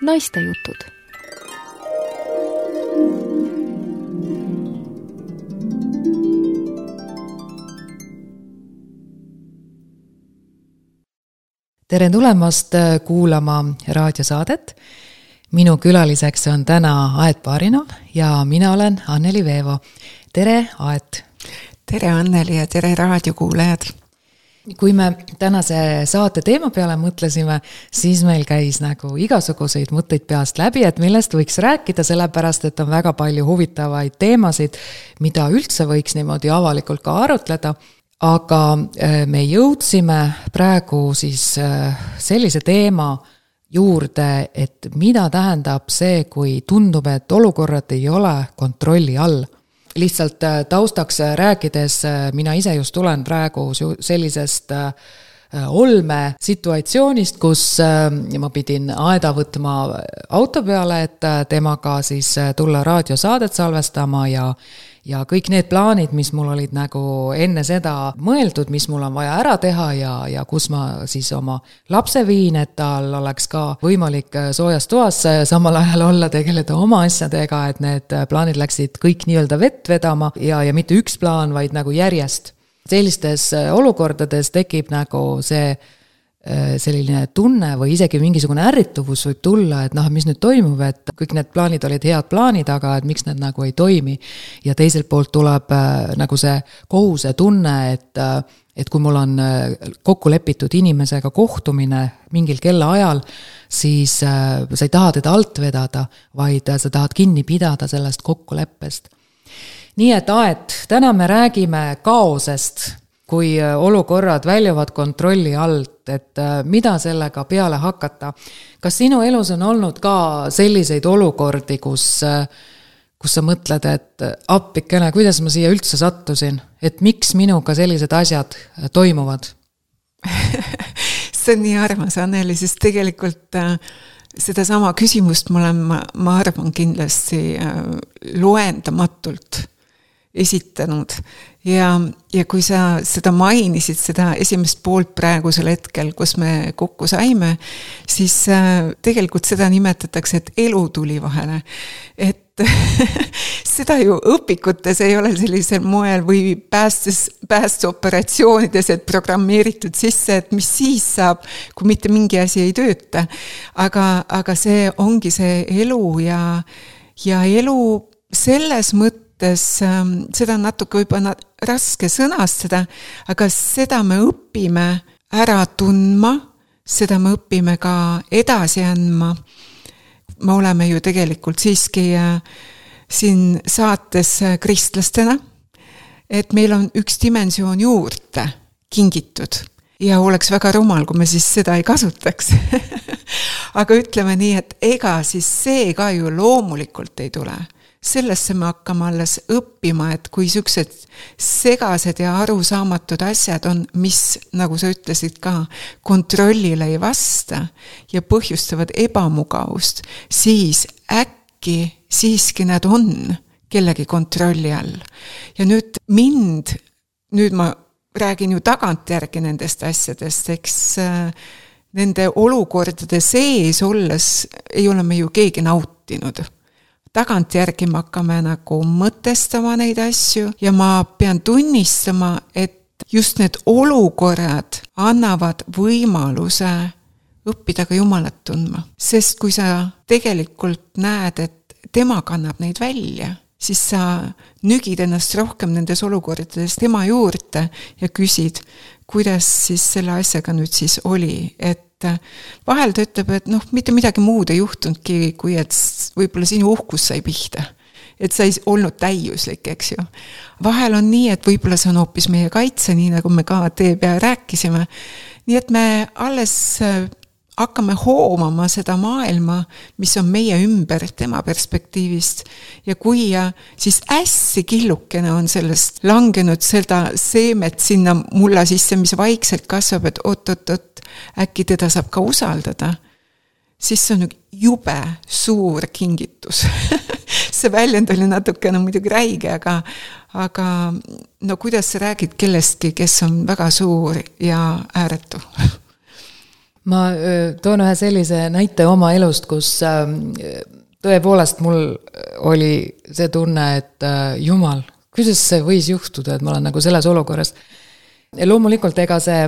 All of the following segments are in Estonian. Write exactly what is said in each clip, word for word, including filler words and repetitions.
Naistejutud. Tere tulemast kuulama raadiosaadet. Minu külaliseks on täna Aet Barinov ja mina olen Anneli Veevo. Tere, Aet! Tere, Anneli, ja tere raadiokuulajad! Kui me tänase saate teema peale mõtlesime, siis meil käis nagu igasuguseid mõtteid peast läbi, et millest võiks rääkida, sellepärast, et on väga palju huvitavaid teemasid, mida üldse võiks niimoodi avalikult ka arutleda. Aga me jõudsime praegu siis sellise teema juurde, et mida tähendab see, kui tundub, et olukorrad ei ole kontrolli all. Lihtsalt taustaks rääkides, mina ise just tulen praegu sellisest olme situatsioonist, kus ma pidin Aeda võtma auto peale, et temaga siis tulla raadiosaadet salvestama ja Ja kõik need plaanid, mis mul olid nagu enne seda mõeldud, mis mul on vaja ära teha ja, ja kus ma siis oma lapse viin, et tal oleks ka võimalik soojas toas samal ajal olla, tegeleda oma asjadega, et need plaanid läksid kõik nii-öelda vett vedama ja, ja mitte üks plaan, vaid nagu järjest. Sellistes olukordades tekib nagu see selline tunne või isegi mingisugune ärrituvus võib tulla, et noh, mis nüüd toimub, et kõik need plaanid olid head plaanid, aga et miks need nagu ei toimi. Ja teiselt poolt tuleb nagu see kohuse tunne, et, et kui mul on kokku lepitud inimesega kohtumine mingil kella ajal, siis sa ei taha teda alt vedada, vaid sa tahad kinni pidada sellest kokkuleppest. Nii et Aet, täna me räägime kaosest, kui olukorrad väljuvad kontrolli alt, et mida sellega peale hakata. Kas sinu elus on olnud ka selliseid olukordi, kus, kus sa mõtled, et appikene, kuidas ma siia üldse sattusin? Et miks minuga sellised asjad toimuvad? See on nii armas, Anneli, sest tegelikult seda sama küsimust ma olen, ma, ma arvan kindlasti loendamatult esitanud. Ja, ja kui sa seda mainisid, seda esimest poolt praegusel hetkel, kus me kokku saime, siis tegelikult seda nimetatakse, et elu tuli vahele. Et seda ju õpikutes ei ole sellisel moel või päästes, päästeoperatsioonides, et programmeeritud sisse, et mis siis saab, kui mitte mingi asi ei tööta. Aga, aga see ongi see elu ja, ja elu selles mõttes, seda on natuke võib-olla raske sõnastada, aga seda me õpime ära tundma, seda me õpime ka edasi andma. Me oleme ju tegelikult siiski siin saates kristlastena, et meil on üks dimensioon juurde kingitud ja oleks väga rumal, kui me siis seda ei kasutaks. Aga ütleme nii, et ega siis see ka ju loomulikult ei tule. Sellesse me hakkame alles õppima, et kui siuksed segased ja arusaamatud asjad on, mis, nagu sa ütlesid ka, kontrollile ei vasta ja põhjustavad ebamugavust, siis äkki siiski nad on kellegi kontrolli all. Ja nüüd mind, nüüd ma räägin ju tagantjärgi nendest asjadest, eks nende olukordade sees olles ei ole me ju keegi nautinud. Tagantjärgi me hakkame nagu mõtestama neid asju ja ma pean tunnistama, et just need olukorrad annavad võimaluse õppida ka Jumalat tundma. Sest kui sa tegelikult näed, et tema kannab neid välja, siis sa nügid ennast rohkem nendes olukordades tema juurde ja küsid, kuidas siis selle asjaga nüüd siis oli, et vahel ta ütleb, et noh, mitte midagi muud ei juhtunudki, kui et võib-olla sinu uhkus sai pihta. Et sa ei olnud täiuslik, eks ju. Vahel on nii, et võib-olla see on hoopis meie kaitse, nii nagu me ka tee pea rääkisime. Nii et me alles hakkame hoomama seda maailma, mis on meie ümber tema perspektiivist. Ja kui ja, siis hästi killukene on sellest langenud seda seemet sinna mulla sisse, mis vaikselt kasvab, et oot-oot-oot, äkki teda saab ka usaldada, siis see on jube suur kingitus. See väljend oli natukene muidugi räige, aga, aga no kuidas sa räägid kellestki, kes on väga suur ja ääretu? ma toon ühe sellise näite oma elust, kus tõepoolest mul oli see tunne, et jumal, kuidas see võis juhtuda, et ma olen nagu selles olukorras. Ja loomulikult ega see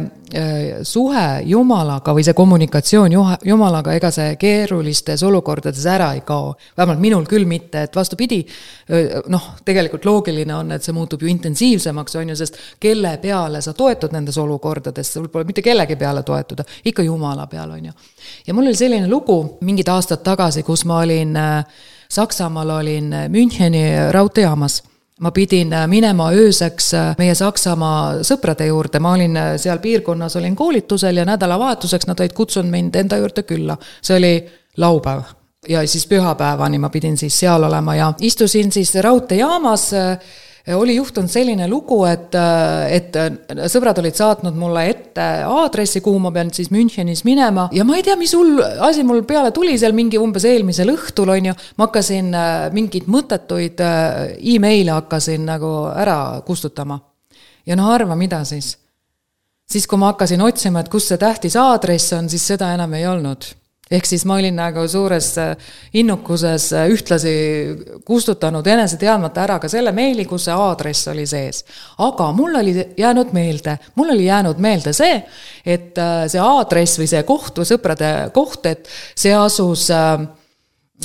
suhe Jumalaga või see kommunikatsioon Jumalaga, ega see keerulistes olukordades ära ei kao. Vähemalt minul küll mitte, et vastupidi, noh, tegelikult loogiline on, et see muutub ju intensiivsemaks, on ju, sest kelle peale sa toetud nendes olukordades, sul pole mitte kellegi peale toetuda, ikka Jumala peale, on ju. Ja mul oli selline lugu mingid aastad tagasi, kus ma olin Saksamaal, olin Müncheni raudteejaamas. Ma pidin minema ööseks meie Saksamaa sõprade juurde, ma olin seal piirkonnas, olin koolitusel ja nädalavahetuseks nad olid kutsunud mind enda juurde külla. See oli laupäev ja siis pühapäevani ma pidin siis seal olema ja istusin siis raudteejaamas. Oli juhtunud selline lugu, et, et sõbrad olid saatnud mulle ette aadressi, kuhu ma pean siis Münchenis minema ja ma ei tea, mis hull asi mul peale tuli seal mingi umbes eelmisel õhtul, on ju, ma hakkasin mingid mõttetuid e-maile hakkasin nagu ära kustutama. Ja noh, arva, mida siis? Siis kui ma hakkasin otsima, et kus see tähtis aadress on, siis seda enam ei olnud. Ehk siis ma olin nagu suures innukuses ühtlasi kustutanud enese teadmata ära ka selle meili, kus see aadress oli sees. Aga mul oli jäänud meelde, mul oli jäänud meelde see, et see aadress või see koht või sõprade koht, et see asus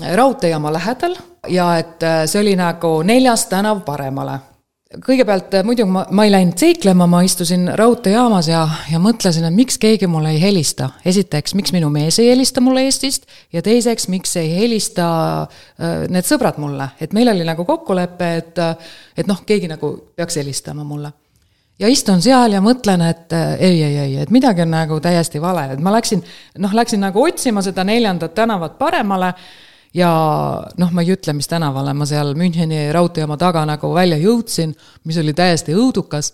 raudteejaama lähedal ja et see oli nagu neljas tänav paremale. Kõigepealt muidu ma, ma ei läinud seiklema, ma istusin raudteejaamas ja, ja mõtlesin, et miks keegi mulle ei helista. Esiteks, miks minu mees ei helista mulle Eestist ja teiseks, miks ei helista äh, need sõbrad mulle. Et meil oli nagu kokkulepe, et, et noh, keegi nagu peaks helistama mulle. Ja istun seal ja mõtlen, et ei, ei, ei, et midagi on nagu täiesti vale. Et ma läksin, noh, läksin nagu otsima seda neljandat tänavat paremale ja noh, ma ei ütle, mis tänavale ma seal Müncheni raudteejaama taga nagu välja jõudsin, mis oli täiesti õudukas,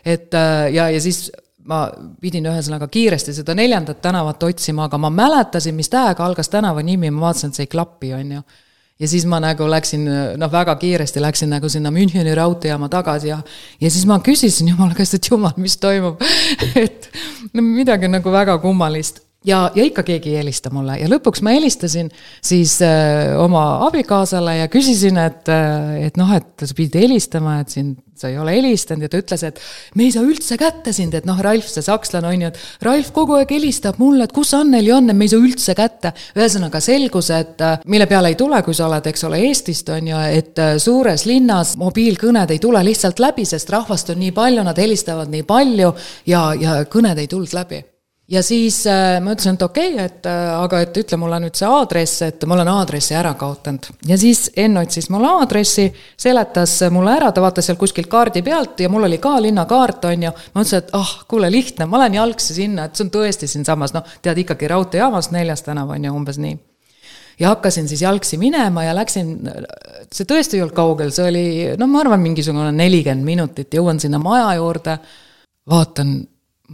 et ja, ja siis ma pidin ühesõnaga kiiresti seda neljandat tänavat otsima, aga ma mäletasin, mis tähega algas tänava nimi, ma vaatasin, et see ei klappi, on ju. Ja siis ma nagu läksin, noh, väga kiiresti läksin nagu sinna Müncheni raudteejaama tagasi ja, ja siis ma küsisin Jumala käest, et Jumal, mis toimub, et no, midagi nagu väga kummalist. Ja, ja ikka keegi ei helista mulle ja lõpuks ma helistasin siis äh, oma abikaasale ja küsisin, et, et noh, et sa pidid helistama, et siin sa ei ole helistanud ja ta ütles, et me ei saa üldse kätte sind, et noh, Ralf, see sakslane on ju, et Ralf kogu aeg helistab mulle, et kus Anneli on, et me ei saa üldse kätte. Ühesõnaga selgus, et mille peale ei tule, kui sa oled, eks ole, Eestist on ju, et suures linnas mobiilkõned ei tule lihtsalt läbi, sest rahvast on nii palju, nad helistavad nii palju ja, ja kõned ei tulnud läbi. Ja siis äh, ma ütlesin, et okei, okay, et, äh, aga et ütle mulle nüüd see aadress, et ma olen aadressi ära kaotanud. Ja siis Enn otsis mulle aadressi, seletas mulle ära, ta vaatas seal kuskil kaardi pealt ja mul oli ka linnakaart, on ju. Ma ütlesin, et ah, kuule lihtne, ma olen jalgsi sinna, et see on tõesti siin samas, noh, tead ikkagi raudteejaamas neljas tänav on ju umbes nii. Ja hakkasin siis jalgsi minema ja läksin, see tõesti ei olnud kaugel, see oli, no ma arvan, mingisugune nelikümmend minutit, jõuan sinna maja juurde, vaatan,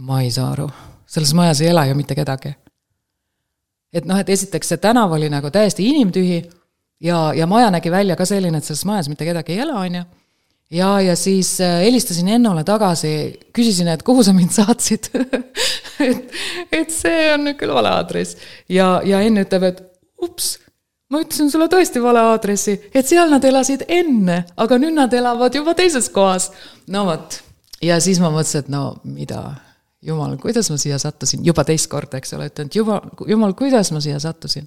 ma ei saa aru. Selles majas ei ela ju mitte kedagi. Et noh, et esiteks see tänav oli nagu täiesti inimtühi ja, ja maja nägi välja ka selline, et selles majas mitte kedagi ei ela, on ju. Ja, ja siis helistasin Ennole tagasi, küsisin, et kuhu sa mind saatsid, et, et see on nüüd küll vale aadress. Ja, ja Enn ütleb, et ups, ma ütlesin sulle tõesti vale aadressi, et seal nad elasid enne, aga nüüd nad elavad juba teises kohas. No võt, ja siis ma mõtlesin, et no mida... Jumal, kuidas ma siia sattusin? Juba teist korda, eks ole, ütlen, et Jumal, Jumal, kuidas ma siia sattusin?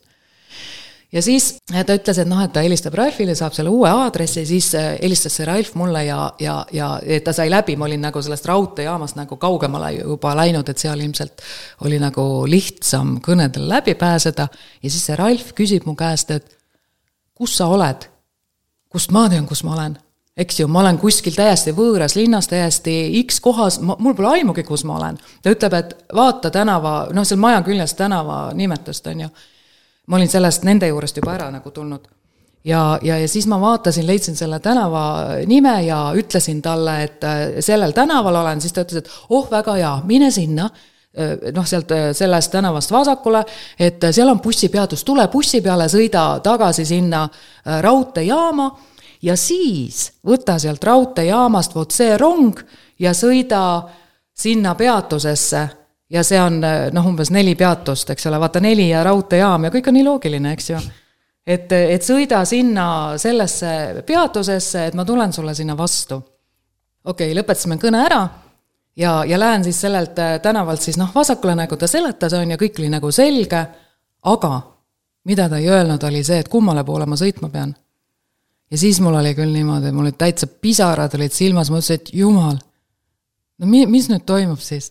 Ja siis ta ütles, et noh, et ta helistab Ralfile, saab selle uue aadressi, siis helistas see Ralf mulle ja, ja, ja ta sai läbi, ma olin nagu sellest raudteejaamast nagu kaugemale juba läinud, et seal ilmselt oli nagu lihtsam kõnedel läbi pääseda ja siis see Ralf küsib mu käest, et kus sa oled? Kust ma tean, kus ma olen? Eks ju, ma olen kuskil täiesti võõras linnas, täiesti X kohas, ma, mul pole aimugi, kus ma olen. Ta ütleb, et vaata tänava, noh, seal maja küljest tänava nimetust on ju. Ma olin sellest nende juurest juba ära nagu tulnud. Ja, ja, ja siis ma vaatasin, leidsin selle tänava nime ja ütlesin talle, et sellel tänaval olen, siis ta ütles, et oh, väga hea, mine sinna, noh, sealt sellest tänavast vasakule, et seal on bussipeatus, tule bussi peale, sõida tagasi sinna raudteejaama ja siis võta sealt raudteejaamast vot see rong ja sõida sinna peatusesse ja see on noh, umbes neli peatust, eks ole, vaata neli ja raudteejaam ja kõik on nii loogiline, eks ju. Et, et sõida sinna sellesse peatusesse, et ma tulen sulle sinna vastu. Okei, okay, lõpetasime kõne ära ja, ja lähen siis sellelt tänavalt siis noh, vasakule nagu ta seletas on ja kõik oli nagu selge, aga mida ta ei öelnud oli see, et kummale poole ma sõitma pean. Ja siis mul oli küll niimoodi, mul olid täitsa pisarad olid silmas, ma ütlesin, et jumal, no mi, mis nüüd toimub siis?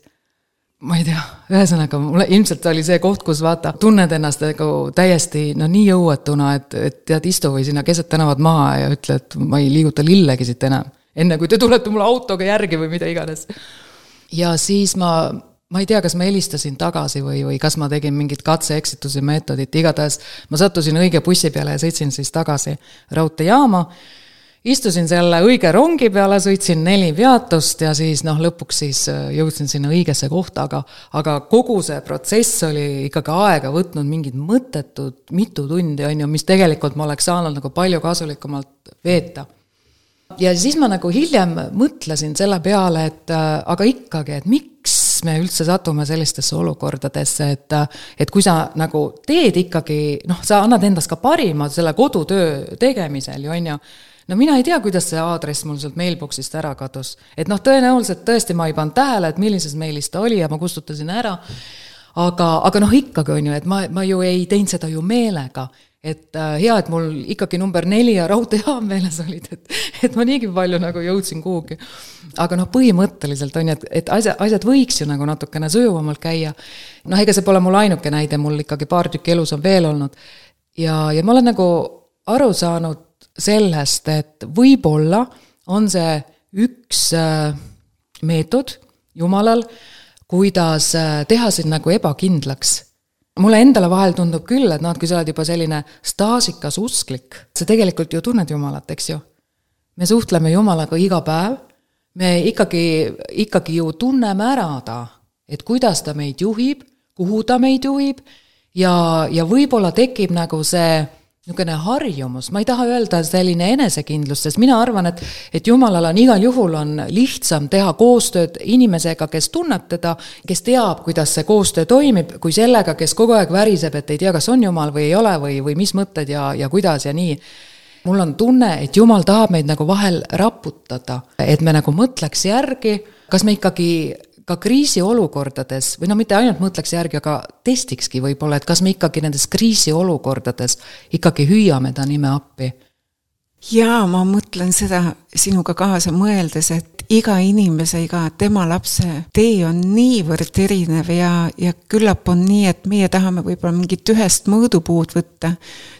Ma ei tea, ühesõnaga, mulle ilmselt oli see koht, kus vaata, tunned ennast nagu täiesti no nii jõuetuna, et, et tead istu või sinna keset tänavad maha ja ütle, et ma ei liiguta lillegi siit enam, enne kui te tulete mulle autoga järgi või mida iganes. Ja siis ma, ma ei tea, kas ma helistasin tagasi või, või kas ma tegin mingit katse-eksituse meetodit, igatahes ma sattusin õige bussi peale ja sõitsin siis tagasi raudteejaama. Istusin selle õige rongi peale, sõitsin neli peatust ja siis noh, lõpuks siis jõudsin sinna õigesse kohta, aga, aga kogu see protsess oli ikkagi aega võtnud mingid mõttetud mitu tundi, on ju, mis tegelikult ma oleks saanud nagu palju kasulikumalt veeta. Ja siis ma nagu hiljem mõtlesin selle peale, et aga ikkagi, et miks me üldse satume sellistesse olukordadesse, et, et kui sa nagu teed ikkagi, noh, sa annad endast ka parima selle kodutöö tegemisel, ju on ju, no mina ei tea, kuidas see aadress mul sealt mailboxist ära kadus. Et noh, tõenäoliselt tõesti ma ei pannud tähele, et millises mailis ta oli ja ma kustutasin ära. Aga, aga noh, ikkagi on ju, et ma, ma ju ei teinud seda ju meelega. Et äh, hea, et mul ikkagi number neli ja raudteejaam meeles olid, et, et ma niigi palju nagu jõudsin kuhugi. Aga noh, põhimõtteliselt on ju, et, et asjad, asjad võiks ju nagu natukene sujuvamalt käia. Noh, ega see pole mul ainuke näide, mul ikkagi paar tükki elus on veel olnud. Ja, ja ma olen nagu aru saanud sellest, et võib-olla on see üks meetod Jumalal, kuidas teha sind nagu ebakindlaks. Mulle endale vahel tundub küll, et noh, kui sa oled juba selline staasikas usklik, sa tegelikult ju tunned Jumalat, eks ju. Me suhtleme Jumalaga iga päev, me ikkagi, ikkagi ju tunneme ära ta, et kuidas ta meid juhib, kuhu ta meid juhib ja, ja võib-olla tekib nagu see niisugune harjumus, ma ei taha öelda selline enesekindlus, sest mina arvan, et, et Jumalal on igal juhul on lihtsam teha koostööd inimesega, kes tunneb teda, kes teab, kuidas see koostöö toimib, kui sellega, kes kogu aeg väriseb, et ei tea, kas on Jumal või ei ole või, või mis mõtted ja, ja kuidas ja nii. Mul on tunne, et Jumal tahab meid nagu vahel raputada, et me nagu mõtleks järgi, kas me ikkagi ka kriisiolukordades, või no mitte ainult mõtleks järgi, aga testikski võib-olla, et kas me ikkagi nendes kriisiolukordades ikkagi hüüame ta nime appi. Jaa, ma mõtlen seda sinuga kaasa mõeldes, et iga inimese, iga tema lapse tee on niivõrd erinev ja, ja küllap on nii, et meie tahame võib-olla mingit ühest mõõdupuud võtta.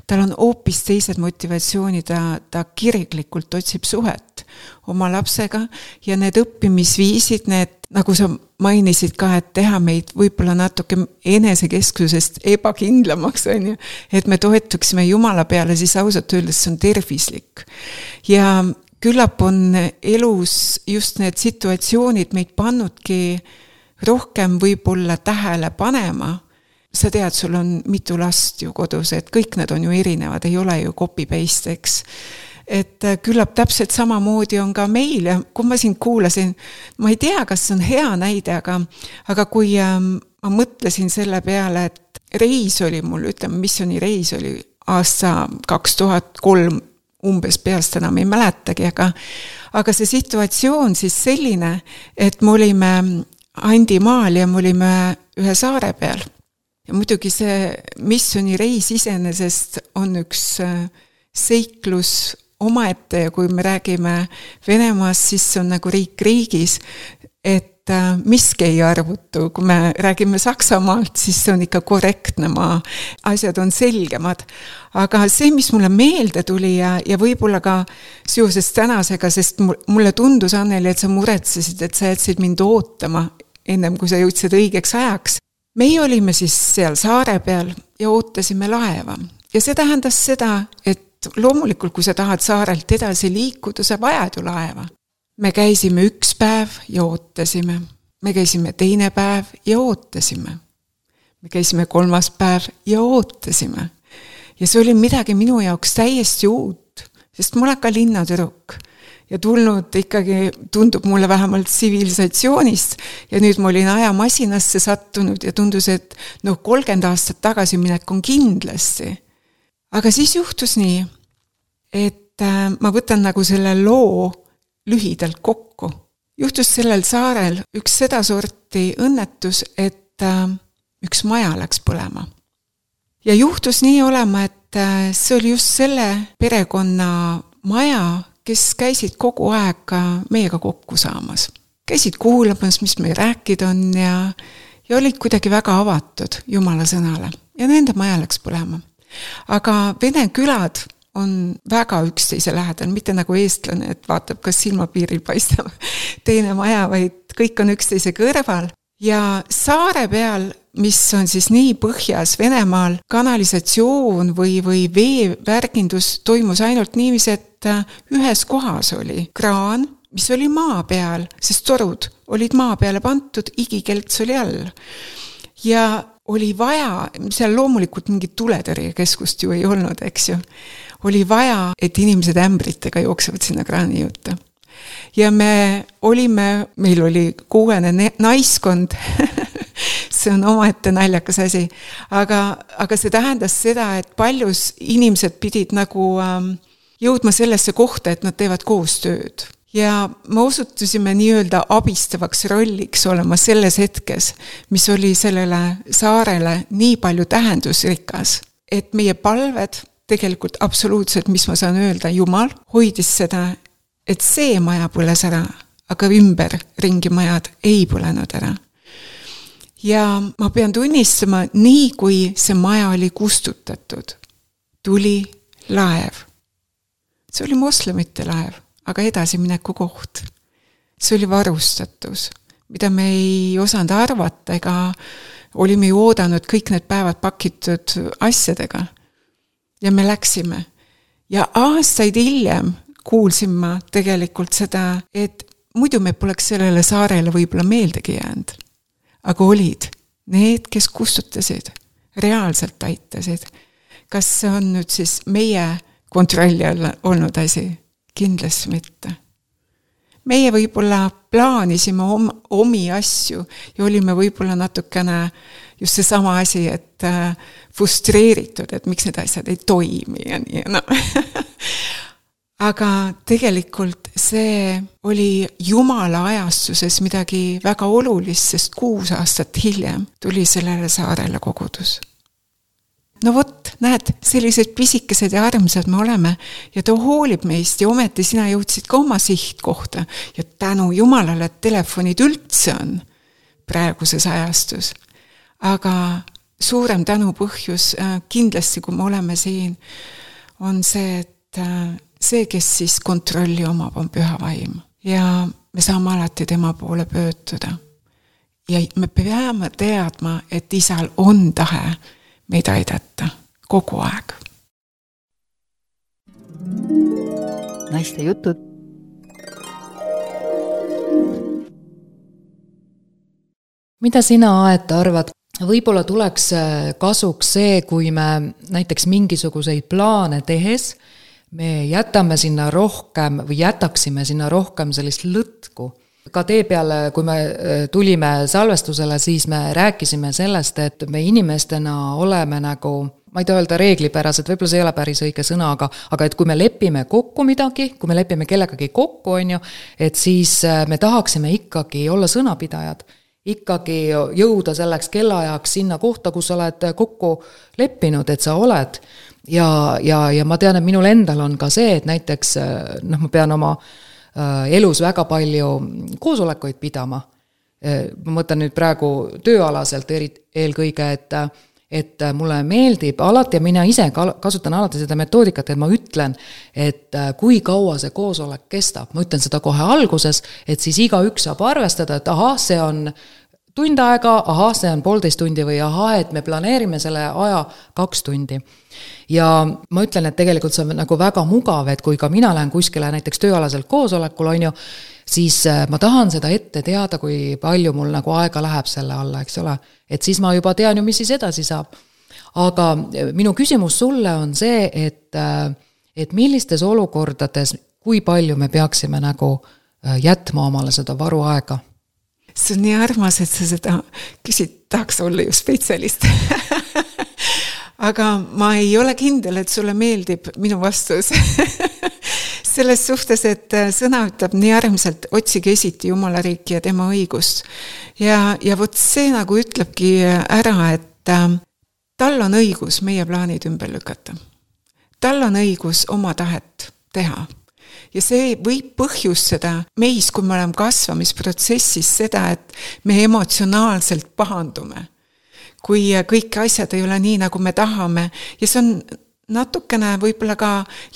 Tal on hoopis teised motivatsioonid, ta, ta kirglikult otsib suhet oma lapsega ja need õppimisviisid, need, nagu sa mainisid ka, et teha meid võib-olla natuke enesekesksusest ebakindlamaks, on ju, et me toetuksime Jumala peale, siis ausalt öeldes see on tervislik. Ja küllap on elus just need situatsioonid meid pannudki rohkem võib-olla tähele panema. Sa tead, sul on mitu last ju kodus, et kõik need on ju erinevad, ei ole ju copy-paste, eks. Et küllap täpselt samamoodi on ka meil ja kui ma sind kuulasin, ma ei tea, kas see on hea näide, aga, aga kui ähm, ma mõtlesin selle peale, et reis oli mul, ütleme, missiooni reis oli aasta kaks tuhat kolm umbes peast enam ei mäletagi, aga, aga see situatsioon siis selline, et me olime Andimaal ja me olime ühe saare peal. Ja muidugi see missiooni reis iseenesest on üks seiklus omaette ja kui me räägime Venemaast, siis see on nagu riik riigis, et miski ei arvutu. Kui me räägime Saksamaalt, siis see on ikka korrektne maa, asjad on selgemad. Aga see, mis mulle meelde tuli ja, ja võib-olla ka seoses tänasega, sest mulle tundus, Anneli, et sa muretsesid, et sa jätsid mind ootama ennem, kui sa jõudsid õigeks ajaks. Meie olime siis seal saare peal ja ootasime laeva. Ja see tähendas seda, et loomulikult, kui sa tahad saarelt edasi liikuda, sa vajad ju laeva. Me käisime üks päev ja ootasime. Me käisime teine päev ja ootasime. Me käisime kolmas päev ja ootasime. Ja see oli midagi minu jaoks täiesti uut, sest ma olen ka linnatüdruk. ja tulnud ikkagi, tundub mulle vähemalt tsivilisatsioonist ja nüüd ma olin ajamasinasse sattunud ja tundus, et noh, kolmkümmend aastat tagasi minek on kindlasti. Aga siis juhtus nii, et ma võtan nagu selle loo lühidalt kokku. Juhtus sellel saarel üks seda sorti õnnetus, et üks maja läks põlema. Ja juhtus nii olema, et see oli just selle perekonna maja, kes käisid kogu aeg meiega kokku saamas. Käisid kuulamas, mis meil rääkida on ja, ja olid kuidagi väga avatud Jumala sõnale. Ja nende maja läks põlema. Aga vene külad on väga üksteise lähedal, mitte nagu eestlane, et vaatab, kas silmapiiril paistab teine maja, vaid kõik on üksteise kõrval. Ja saare peal, mis on siis nii põhjas Venemaal, kanalisatsioon või, või veevärgindus toimus ainult niiviisi, et ühes kohas oli kraan, mis oli maa peal, sest torud olid maa peale pantud, igikelts oli all. Ja oli vaja, seal loomulikult mingit tuletõrjekeskust ju ei olnud, eks ju. Oli vaja, et inimesed ämbritega jooksevad sinna kraani juurde. Ja me olime, meil oli kuuene naiskond, see on omaette naljakas asi, aga, aga see tähendas seda, et paljus inimesed pidid nagu ähm, jõudma sellesse kohta, et nad teevad koostööd. Ja me osutusime nii-öelda abistavaks rolliks olema selles hetkes, mis oli sellele saarele nii palju tähendusrikas, et meie palved tegelikult absoluutselt, mis ma saan öelda, Jumal hoidis seda, et see maja põles ära, aga ümber ringi majad ei põlenud ära. Ja ma pean tunnistama, nii kui see maja oli kustutatud, tuli laev. See oli moslemite laev, aga edasimineku koht. See oli varustatus, mida me ei osanud arvata, ega olime ju oodanud kõik need päevad pakitud asjadega. Ja me läksime. Ja aastaid hiljem kuulsin ma tegelikult seda, et muidu me poleks sellele saarele võib-olla meeldegi jäänud. Aga olid need, kes kustutasid, reaalselt aitasid. Kas see on nüüd siis meie kontrolli all olnud asi? Kindlasti mitte. Meie võib-olla plaanisime om, omi asju ja olime võib-olla natukene just see sama asi, et frustreeritud, et miks need asjad ei toimi ja nii. No. Aga tegelikult see oli Jumala ajastuses midagi väga olulist, sest kuus aastat hiljem tuli sellele saarele kogudus. No vot, näed, sellised pisikesed ja armsad me oleme ja ta hoolib meist ja ometi sina jõudsid ka oma sihtkohta ja tänu Jumalale, et telefonid üldse on praeguses ajastus. Aga suurem tänu põhjus kindlasti, kui me oleme siin, on see, et see, kes siis kontrolli omab, on püha vaim. Ja me saame alati tema poole pöötuda. Ja me peame teadma, et isal on tahe meid aidata kogu aeg. Naiste jutud. Mida sina, Aet, arvad? Võib-olla tuleks kasuks see, kui me näiteks mingisuguseid plaane tehes me jätame sinna rohkem või jätaksime sinna rohkem sellist lõtku. Ka tee peale, kui me tulime salvestusele, siis me rääkisime sellest, et me inimestena oleme nagu, ma ei tea öelda reeglipärased, võib-olla see ei ole päris õige sõna, aga, aga et kui me lepime kokku midagi, kui me lepime kellegagi kokku, on ju, et siis me tahaksime ikkagi olla sõnapidajad, ikkagi jõuda selleks kellaajaks sinna kohta, kus sa oled kokku leppinud, et sa oled. Ja, ja, ja ma tean, et minul endal on ka see, et näiteks noh, ma pean oma elus väga palju koosolekuid pidama. Ma mõtlen nüüd praegu tööalaselt eri, eelkõige, et, et mulle meeldib alati ja mina ise kasutan alati seda metoodikat, et ma ütlen, et kui kaua see koosolek kestab. Ma ütlen seda kohe alguses, et siis iga üks saab arvestada, et aha, see on tund aega, aha, see on poolteist tundi või aha, et me planeerime selle aja kaks tundi. Ja ma ütlen, et tegelikult see on nagu väga mugav, et kui ka mina lähen kuskile näiteks tööalaselt koosolekul, on ju, siis ma tahan seda ette teada, kui palju mul nagu aega läheb selle alla, eks ole. Et siis ma juba tean ju, mis siis edasi saab. Aga minu küsimus sulle on see, et, et millistes olukordades, kui palju me peaksime nagu jätma omale seda varuaega? See on nii armas, et sa seda küsid, tahaks olla ju spetsialist. Aga ma ei ole kindel, et sulle meeldib minu vastus. Selles suhtes, et sõna ütleb nii armselt, otsige esiti Jumala riiki ja tema õigust. Ja, ja võt see nagu ütlebki ära, et tal on õigus meie plaanid ümber lükata. Tal on õigus oma tahet teha. Ja see võib põhjustada meis, kui me oleme kasvamisprotsessis seda, et me emotsionaalselt pahandume. Kui kõik asjad ei ole nii, nagu me tahame. Ja see on natukene võib-olla ka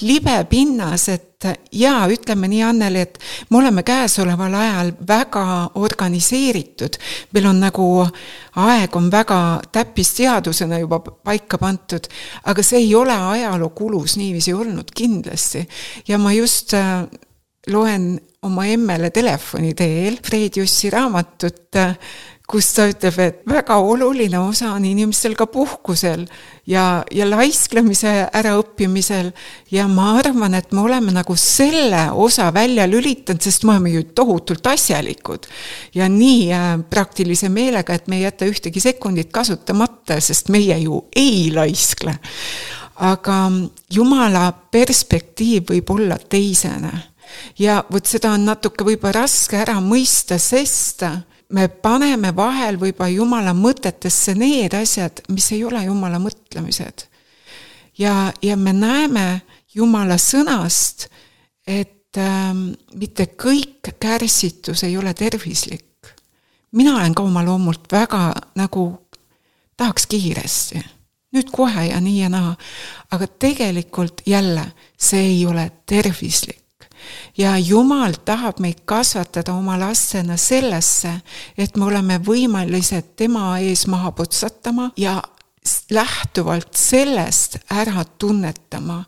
libe pinnas, et jaa, ütleme nii Anneli, et me oleme käesoleval ajal väga organiseeritud. Meil on nagu aeg on väga täppisteadusena juba paika pantud, aga see ei ole ajaloo kulus niiviisi olnud kindlasti. Ja ma just loen oma emmele telefoni teel Fred Jussi raamatut, kus ta ütleb, et väga oluline osa on inimestel ka puhkusel ja, ja laisklemise äraõppimisel. Ja ma arvan, et me oleme nagu selle osa välja lülitanud, sest me oleme ju tohutult asjalikud. Ja nii praktilise meelega, et me ei jäta ühtegi sekundit kasutamata, sest meie ju ei laiskle. Aga Jumala perspektiiv võib olla teisene. Ja võt seda on natuke võib-olla raske ära mõista, sest me paneme vahel võib-olla Jumala mõtetesse need asjad, mis ei ole Jumala mõtlemised. Ja, ja me näeme Jumala sõnast, et ähm, mitte kõik kärsitus ei ole tervislik. Mina olen ka oma loomult väga nagu tahaks kiiresti. Nüüd kohe ja nii ja naa. Aga tegelikult jälle see ei ole tervislik. Ja Jumal tahab meid kasvatada oma lastena sellesse, et me oleme võimalised tema ees maha putsatama ja lähtuvalt sellest ära tunnetama,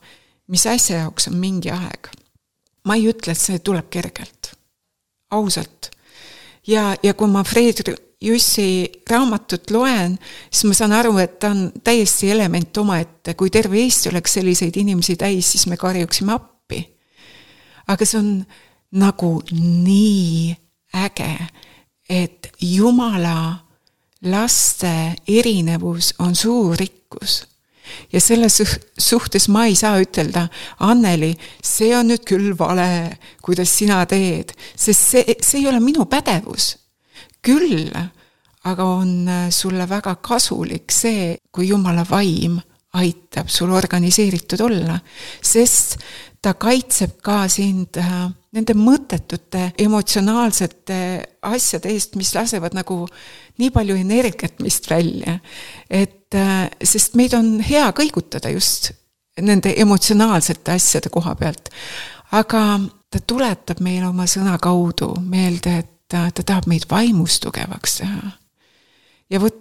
mis asja jaoks on mingi aeg. Ma ei ütle, et see tuleb kergelt. Ausalt. Ja, ja kui ma Fred Jussi raamatut loen, siis ma saan aru, et ta on täiesti element oma ette. Kui terve Eesti oleks selliseid inimesi täis, siis me karjuksime appi. Aga see on nagu nii äge, et Jumala laste erinevus on suur rikkus. Ja selles suhtes ma ei saa ütelda, Anneli, see on nüüd küll vale, kuidas sina teed, sest see, see ei ole minu pädevus. Küll, aga on sulle väga kasulik see, kui Jumala vaim aitab sul organiseeritud olla, sest ta kaitseb ka sind nende mõttetute emotsionaalsete asjade eest, mis lasevad nagu nii palju energiat mist välja. Et, sest meid on hea kõigutada just nende emotsionaalsete asjade koha pealt. Aga ta tuletab meile oma sõna kaudu meelde, et ta, ta tahab meid vaimus tugevaks teha. Ja võt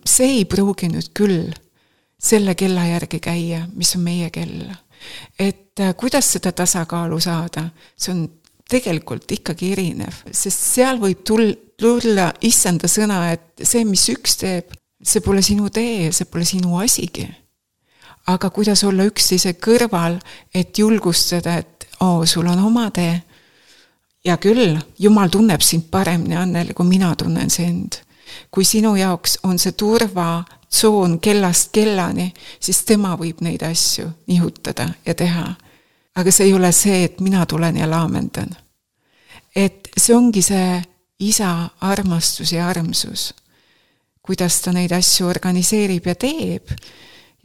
see ei pruugi nüüd küll selle kella järgi käia, mis on meie kell. Et kuidas seda tasakaalu saada, see on tegelikult ikkagi erinev, sest seal võib tulla issanda sõna, et see, mis üks teeb, see pole sinu tee, see pole sinu asigi. Aga kuidas olla üksteise kõrval, et julgustada, et oo, sul on oma tee. Ja küll, Jumal tunneb sind paremini, Anneli, kui mina tunnen sind. Kui sinu jaoks on see turva tsoon kellast kellani, siis tema võib neid asju nihutada ja teha. Aga see ei ole see, et mina tulen ja laamendan. Et see ongi see isa armastus ja armsus, kuidas ta neid asju organiseerib ja teeb.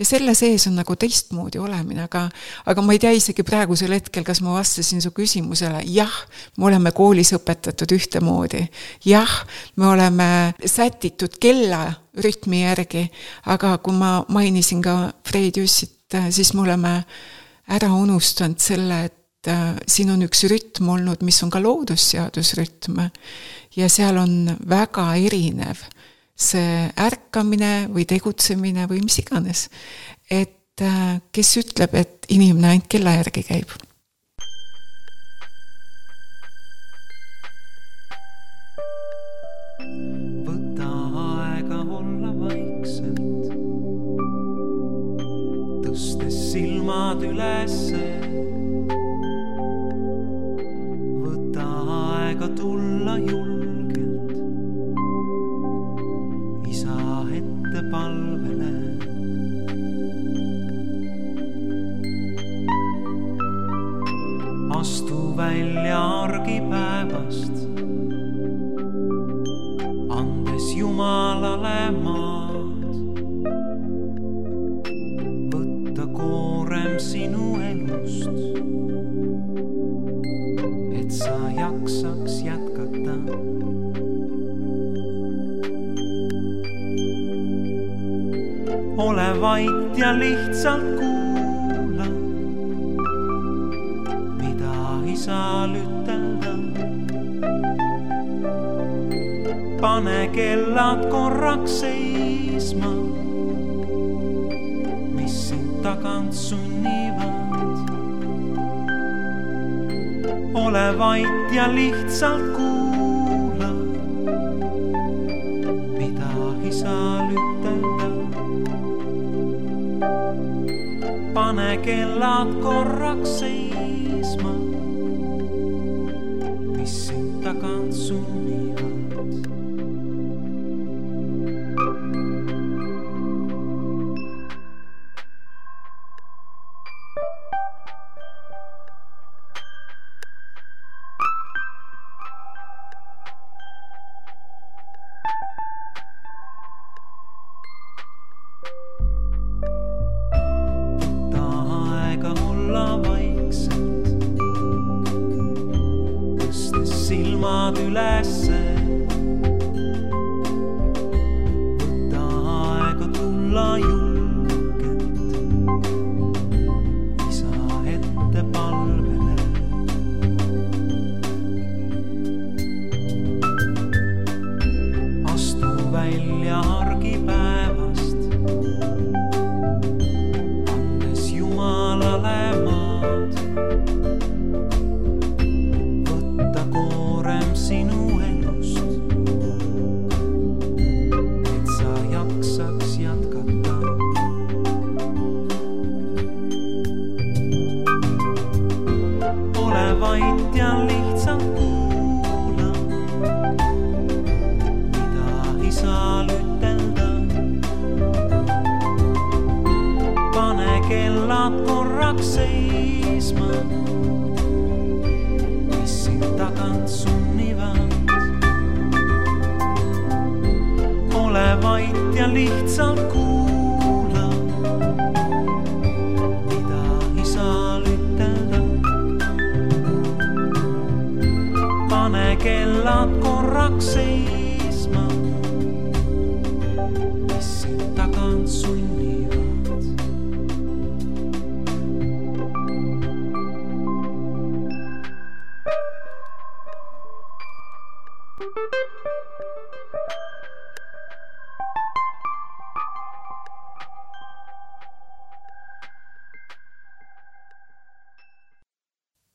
Ja selle sees on nagu teistmoodi olemine, aga, aga ma ei tea isegi praegusel hetkel, kas ma vastasin su küsimusele. Jah, me oleme koolis õpetatud ühtemoodi. Jah, me oleme sätitud kella rütmi järgi, aga kui ma mainisin ka Fred Jussit, siis me oleme ära unustanud selle, et siin on üks rütm olnud, mis on ka loodusseadusrütm ja seal on väga erinev see ärkamine või tegutsemine või mis iganes. Et kes ütleb, et inimene ainult kella järgi käib. Võta aega olla vaikselt, tõstes silmad ülesse, andes Jumalale maad. Võtta koorem sinu elust, et sa jaksaks jätkata. Ole vait ja lihtsalt kuula, mida isal ütelda. Pane kellad korraks seisma, mis sind tagant sunnivad. Ole vait ja lihtsalt kuula, mida isal ütelda. Pane kellad korraks seisma, mis sind tagant sunnivad. Silmad ülesse, võta aega tulla julgelt isa ette palvele. Astu välja argipäevast, andes Jumalale maad. Sinu elust, et sa jaksaks jätkata. Ole vait ja lihtsalt kuula, mida isal ütelda. Pane kellad korraks seisma, mis sind tagant sunnivad. Ole vait ja lihtsalt kuula, mida isal ütelda. Pane kellad korraks seisma, mis sind tagant sunnivad.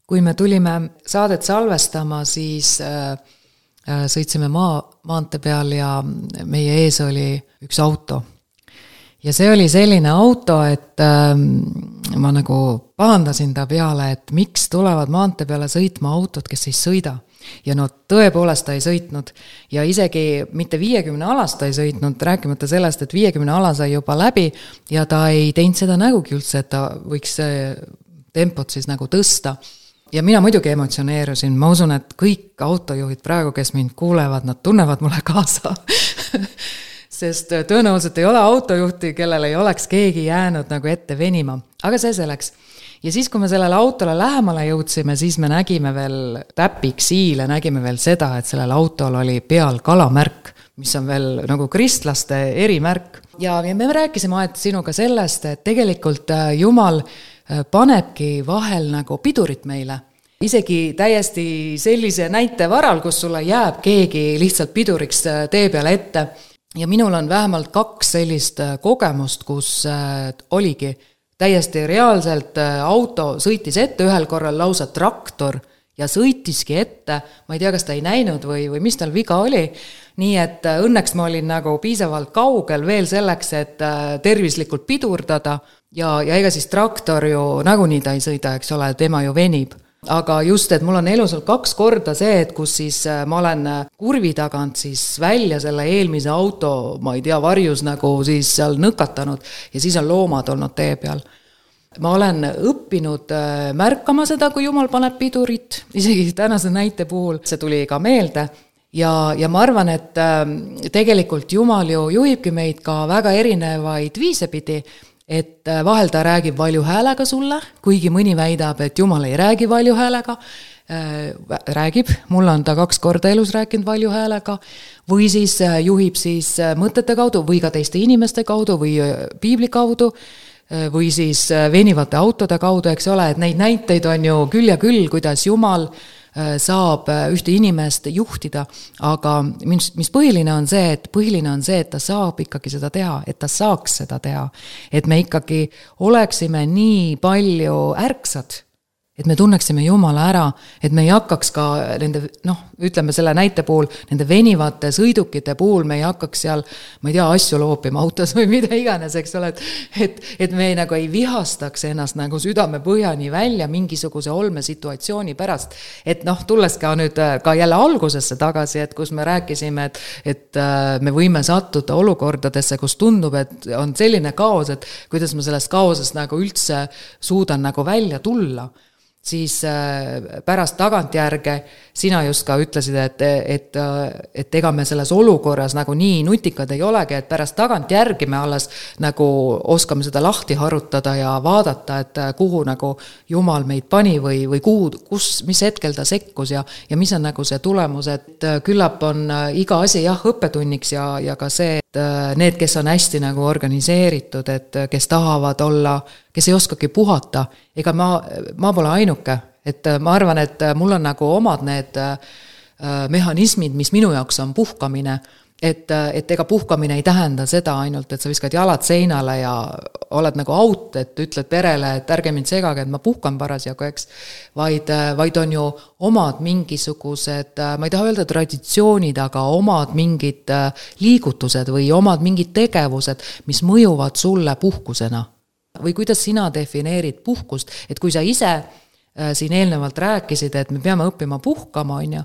Kui me tulime saadet salvestama, siis äh, sõitsime maa, maante peal ja meie ees oli üks auto. Ja see oli selline auto, et äh, ma nagu pahandasin ta peale, et miks tulevad maante peale sõitma autod, kes ei sõida. Ja no tõepoolest ta ei sõitnud ja isegi mitte viiekümne alast ta ei sõitnud, rääkimata sellest, et viiekümne ala sai juba läbi ja ta ei teinud seda nägugi üldse, et ta võiks tempot siis nagu tõsta. Ja mina muidugi emotsioneerusin, ma usun, et kõik autojuhid praegu, kes mind kuulevad, nad tunnevad mulle kaasa. Sest tõenäoliselt ei ole autojuhti, kellel ei oleks keegi jäänud nagu ette venima. Aga see selleks. Ja siis, kui me sellele autole lähemale jõudsime, siis me nägime veel täpiksiile, nägime veel seda, et sellel autol oli peal kalamärk, mis on veel nagu kristlaste erimärk. Ja me rääkisime aet sinuga sellest, et tegelikult Jumal panebki vahel nagu pidurit meile. Isegi täiesti sellise näite varal, kus sulle jääb keegi lihtsalt piduriks tee peale ette. Ja minul on vähemalt kaks sellist kogemust, kus oligi täiesti reaalselt auto sõitis ette, ühel korral lausa traktor ja sõitiski ette, ma ei tea, kas ta ei näinud või, või mis tal viga oli, nii et õnneks ma olin nagu piisavalt kaugel veel selleks, et tervislikult pidurdada ja, ja ega siis traktor ju nagunii ta ei sõida, eks ole, tema ju venib. Aga just, et mul on elus olnud kaks korda see, et kus siis ma olen kurvi tagant siis välja selle eelmise auto, ma ei tea, varjus nagu siis seal nõkatanud ja siis on loomad olnud tee peal. Ma olen õppinud märkama seda, kui Jumal paneb pidurit, isegi tänase näite puhul see tuli ka meelde ja, ja ma arvan, et tegelikult Jumal ju juhibki meid ka väga erinevaid viise pidi, et vahel ta räägib valju häälega sulle, kuigi mõni väidab, et Jumal ei räägi valju häälega, räägib, mul on ta kaks korda elus rääkinud valju häälega, või siis juhib siis mõtete kaudu või ka teiste inimeste kaudu või piibli kaudu, või siis venivate autode kaudu, eks ole, et neid näiteid on ju küll ja küll, kuidas Jumal saab ühte inimest juhtida, aga mis, mis põhiline on see, et põhiline on see, et ta saab ikkagi seda teha, et ta saaks seda teha, et me ikkagi oleksime nii palju ärksad, et me tunneksime Jumala ära, et me ei hakkaks ka nende, noh, ütleme selle näite puhul, nende venivate sõidukite puhul me ei hakkaks seal, ma ei tea, asju loopima autos või mida iganes, eks ole, et, et, et me ei, nagu ei vihastaks ennast nagu südame põhjani välja mingisuguse olme situatsiooni pärast. Et noh, tulles ka nüüd ka jälle algusesse tagasi, et kus me rääkisime, et, et me võime sattuda olukordadesse, kus tundub, et on selline kaos, et kuidas ma sellest kaosest nagu üldse suudan nagu välja tulla, siis pärast tagantjärge sina just ka ütlesid, et, et, et ega me selles olukorras nagu nii nutikad ei olegi, et pärast tagantjärgi me alles nagu oskame seda lahti harutada ja vaadata, et kuhu nagu Jumal meid pani või, või kuhu, kus, mis hetkel ta sekkus ja, ja mis on nagu see tulemus, et küllap on iga asi jah õppetunniks ja, ja ka see, et need, kes on hästi nagu organiseeritud, et kes tahavad olla, kes ei oskagi puhata, ega ma, ma pole ainuke, et ma arvan, et mul on nagu omad need mehhanismid, mis minu jaoks on puhkamine, et, et ega puhkamine ei tähenda seda ainult, et sa viskad jalad seinale ja oled nagu out, et ütled perele, et ärge mind segage, et ma puhkan parasjagu, eks, vaid, vaid on ju omad mingisugused, ma ei taha öelda traditsioonid, aga omad mingid liigutused või omad mingid tegevused, mis mõjuvad sulle puhkusena. Või kuidas sina defineerid puhkust, et kui sa ise äh, siin eelnevalt rääkisid, et me peame õppima puhkama, on ju,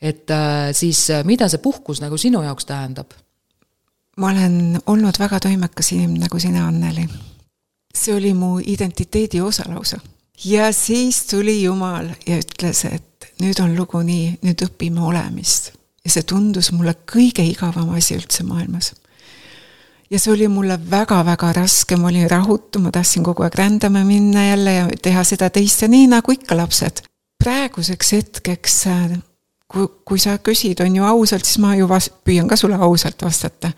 et äh, siis mida see puhkus nagu sinu jaoks tähendab? Ma olen olnud väga toimekas inimene nagu sina, Anneli. See oli mu identiteedi osalausa. Ja siis tuli Jumal ja ütles, et nüüd on lugu nii, nüüd õpime olemist. Ja see tundus mulle kõige igavam asi üldse maailmas. Ja see oli mulle väga-väga raske, ma olin rahutu, ma tahtsin kogu aeg rändama minna jälle ja teha seda teiste nii nagu ikka lapsed. Praeguseks hetkeks, kui, kui sa küsid, on ju ausalt, siis ma ju vast, püüan ka sulle ausalt vastata.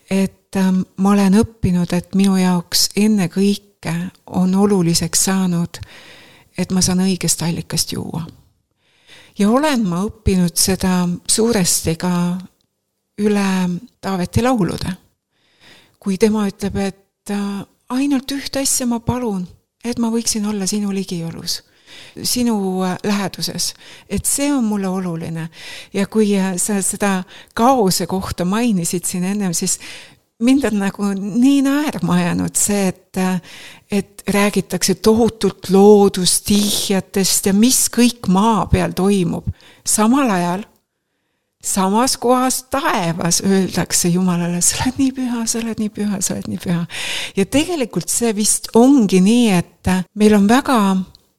Et ähm, ma olen õppinud, et minu jaoks enne kõike on oluliseks saanud, et ma saan õigest allikast juua. Ja olen ma õppinud seda suuresti ka üle Taaveti laulude. Kui tema ütleb, et ainult ühte asja ma palun, et ma võiksin olla sinu ligiolus, sinu läheduses, et see on mulle oluline. Ja kui sa seda kaose kohta mainisid siin ennem, siis mind on nagu nii naerma ajanud see, et, et räägitakse tohutult loodustihjatest ja mis kõik maa peal toimub. Samal ajal samas kohas taevas öeldakse Jumalale, sa oled nii püha, sa oled nii püha, sa oled nii püha. Ja tegelikult see vist ongi nii, et meil on väga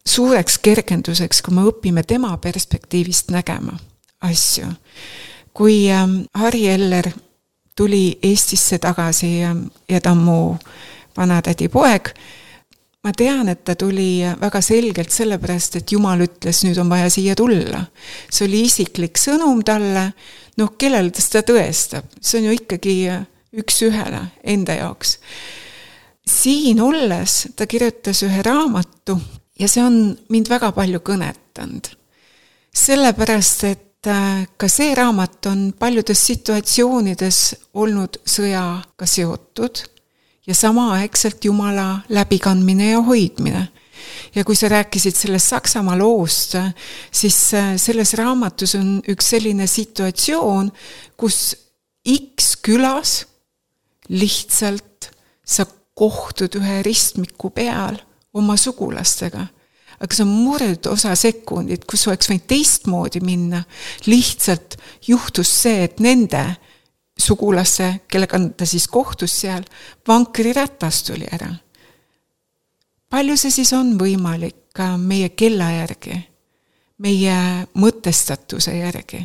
suureks kergenduseks, kui me õpime tema perspektiivist nägema asju. Kui Harri Eller tuli Eestisse tagasi ja ta on mu vanatädi poeg, ma tean, et ta tuli väga selgelt sellepärast, et Jumal ütles, nüüd on vaja siia tulla. See oli isiklik sõnum talle, noh, kellel ta seda tõestab. See on ju ikkagi üks ühele enda jaoks. Siin olles ta kirjutas ühe raamatu ja see on mind väga palju kõnetanud. Sellepärast, et ka see raamat on paljudes situatsioonides olnud sõjaga seotud ja samaaegselt Jumala läbikandmine ja hoidmine. Ja kui sa rääkisid sellest Saksamaa loost, siis selles raamatus on üks selline situatsioon, kus X külas lihtsalt sa kohtud ühe ristmiku peal oma sugulastega. Aga see on murd osa sekundit, kus oleks võinud teistmoodi minna. Lihtsalt juhtus see, et nende sugulasse, kellega ta siis kohtus seal, vankri rätast tuli ära. Palju see siis on võimalik ka meie kella järgi, meie mõtestatuse järgi.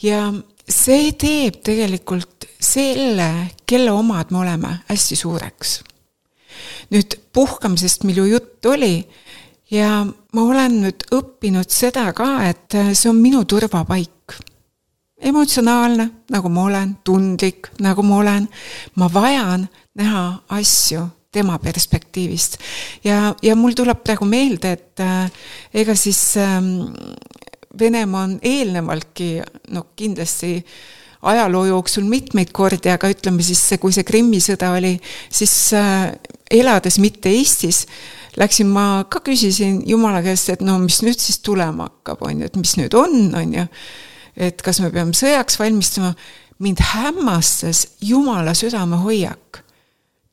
ja see teeb tegelikult selle, kelle omad me oleme, hästi suureks. Nüüd puhkamisest, mille jutt oli, ja ma olen nüüd õppinud seda ka, et see on minu turvapaik. Emotsionaalne, nagu ma olen, tundlik, nagu ma olen. Ma vajan näha asju tema perspektiivist. Ja, ja mul tuleb praegu meelde, et äh, ega siis äh, Venemaa on eelnevaltki, no kindlasti ajaloo jooksul mitmeid kordi, aga ütleme siis, kui see Krimmi sõda oli, siis äh, elades mitte Eestis, läksin ma ka küsisin Jumala käest, et no mis nüüd siis tulema hakkab, on ju, et mis nüüd on, on ju, et kas me peame sõjaks valmistama. Mind hämmastas Jumala südame hoiak.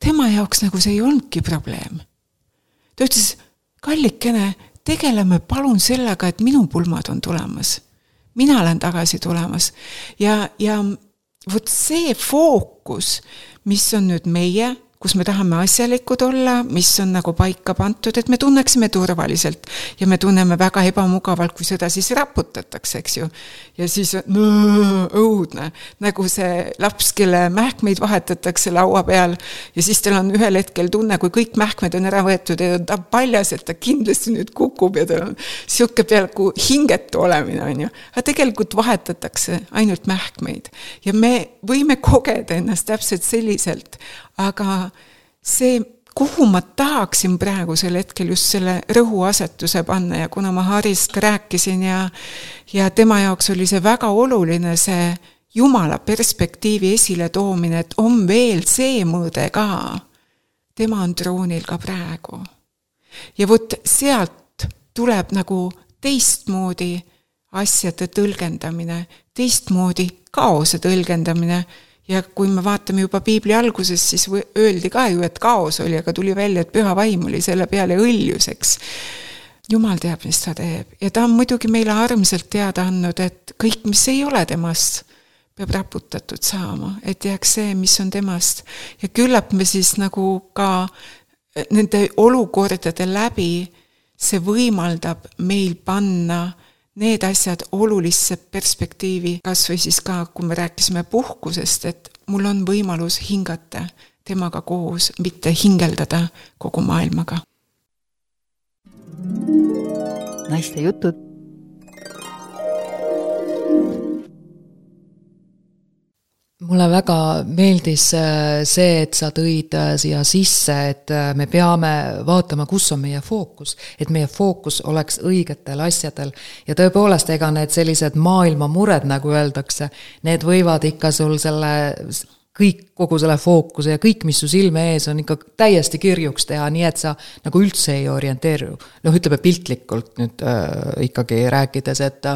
Tema jaoks nagu see ei olnudki probleem. Ta ütles, kallikene, tegeleme palun sellega, et minu pulmad on tulemas. Mina olen tagasi tulemas. Ja, ja vot see fookus, mis on nüüd meie, kus me tahame asjalikud olla, mis on nagu paika pantud, et me tunneksime turvaliselt ja me tunneme väga ebamugavalt, kui seda siis raputatakse, eks ju. Ja siis no, õudne, nagu see laps, kelle mähkmeid vahetatakse laua peal ja siis tal on ühel hetkel tunne, kui kõik mähkmed on ära võetud ja ta paljas, et ta kindlasti nüüd kukub ja tal on siuke peaaegu hingetu olemine, on ju. Aga tegelikult vahetatakse ainult mähkmeid ja me võime kogeda ennast täpselt selliselt, aga see, kuhu ma tahaksin praegusel hetkel just selle rõhuasetuse panna ja kuna ma Harist ka rääkisin ja, ja tema jaoks oli see väga oluline see Jumala perspektiivi esile toomine, et on veel see mõõde ka. Tema on troonil ka praegu. Ja võt sealt tuleb nagu teistmoodi asjade tõlgendamine, teistmoodi kaose tõlgendamine. Ja kui me vaatame juba Piibli alguses, siis öeldi ka ju, et kaos oli, aga tuli välja, et püha vaim oli selle peale õljuseks. Jumal teab, mis ta teeb. Ja ta on muidugi meile armselt teada andnud, et kõik, mis ei ole temast, peab raputatud saama, et jääks see, mis on temast. Ja küllap me siis nagu ka nende olukordade läbi see võimaldab meil panna need asjad olulisse perspektiivi, kas või siis ka, kui me rääkisime puhkusest, et mul on võimalus hingata temaga koos, mitte hingeldada kogu maailmaga. Naiste jutud. Mulle väga meeldis see, et sa tõid siia sisse, et me peame vaatama, kus on meie fookus, et meie fookus oleks õigetel asjadel. Ja tõepoolest, ega need sellised maailma mured, nagu öeldakse, need võivad ikka sul selle, kõik, kogu selle fookuse ja kõik, mis su silme ees on ikka täiesti kirjuks teha, nii et sa nagu üldse ei orienteeru. Noh, ütleme piltlikult nüüd äh, ikkagi rääkides, et,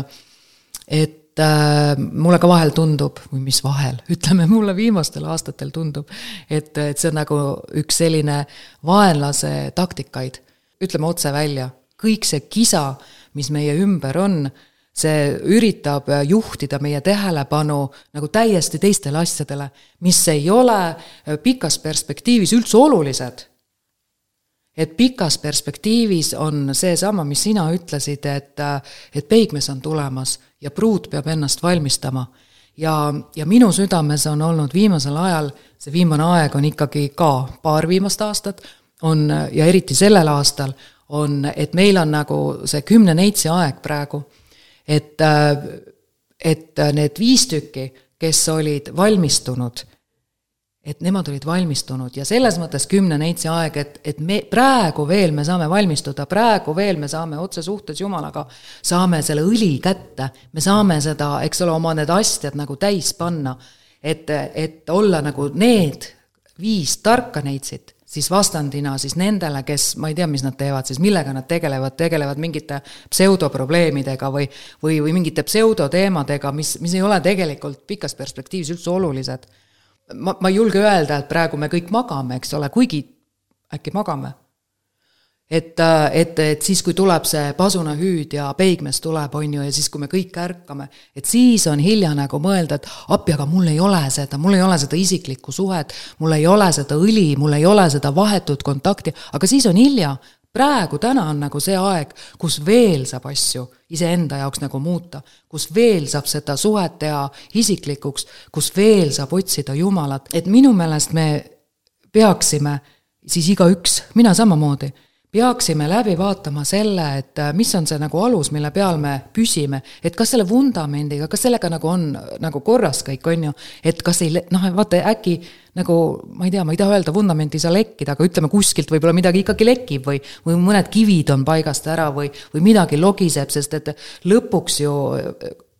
et mulle ka vahel tundub, või mis vahel, ütleme mulle viimastel aastatel tundub, et, et see on nagu üks selline vaenlase taktikaid. Ütleme otse välja, kõik see kisa, mis meie ümber on, see üritab juhtida meie tähelepanu nagu täiesti teistele asjadele, mis ei ole pikas perspektiivis üldse olulised. Et pikas perspektiivis on see sama, mis sina ütlesid, et, et peigmes on tulemas ja pruut peab ennast valmistama. Ja, ja minu südames on olnud viimasel ajal, see viimane aeg on ikkagi ka paar viimast aastat, on, ja eriti sellel aastal, on, et meil on nagu see kümne neitsi aeg praegu, et, et need viis tükki, kes olid valmistunud, et nemad olid valmistunud ja selles mõttes kümne neitsi aeg, et, et me praegu veel me saame valmistuda, praegu veel me saame otse suhtes Jumalaga, saame selle õli kätte, me saame seda, eks ole, oma need asjad nagu täis panna, et, et olla nagu need viis tarka neitsit, siis vastandina siis nendele, kes, ma ei tea, mis nad teevad, siis millega nad tegelevad, tegelevad mingite pseudoprobleemidega või, või, või mingite pseudoteemadega, mis, mis ei ole tegelikult pikas perspektiivis üldse olulised. Ma, ma ei julge öelda, et praegu me kõik magame, eks ole, kuigi äkki magame. Et, et, et siis, kui tuleb see pasunahüüd ja peigmes tuleb, on ju, ja siis, kui me kõik ärkame, et siis on hilja nagu mõelda, et appi, aga mul ei ole seda, mul ei ole seda isiklikku suhet, mul ei ole seda õli, mul ei ole seda vahetut kontakti, aga siis on hilja. praegu täna on nagu see aeg, kus veel saab asju iseenda jaoks nagu muuta, kus veel saab seda suhet teha isiklikuks, kus veel saab otsida Jumalat. Et minu meelest me peaksime, siis igaüks, mina samamoodi, peaksime läbi vaatama selle, et mis on see nagu alus, mille peal me püsime, et kas selle vundamendiga, kas sellega nagu on nagu korras kõik, on ju, et kas ei, noh, vaata äkki nagu, ma ei tea, ma ei taha öelda vundamenti sa lekkida, aga ütleme kuskilt võib-olla midagi ikkagi lekib või, või mõned kivid on paigast ära või, või midagi logiseb, sest et lõpuks ju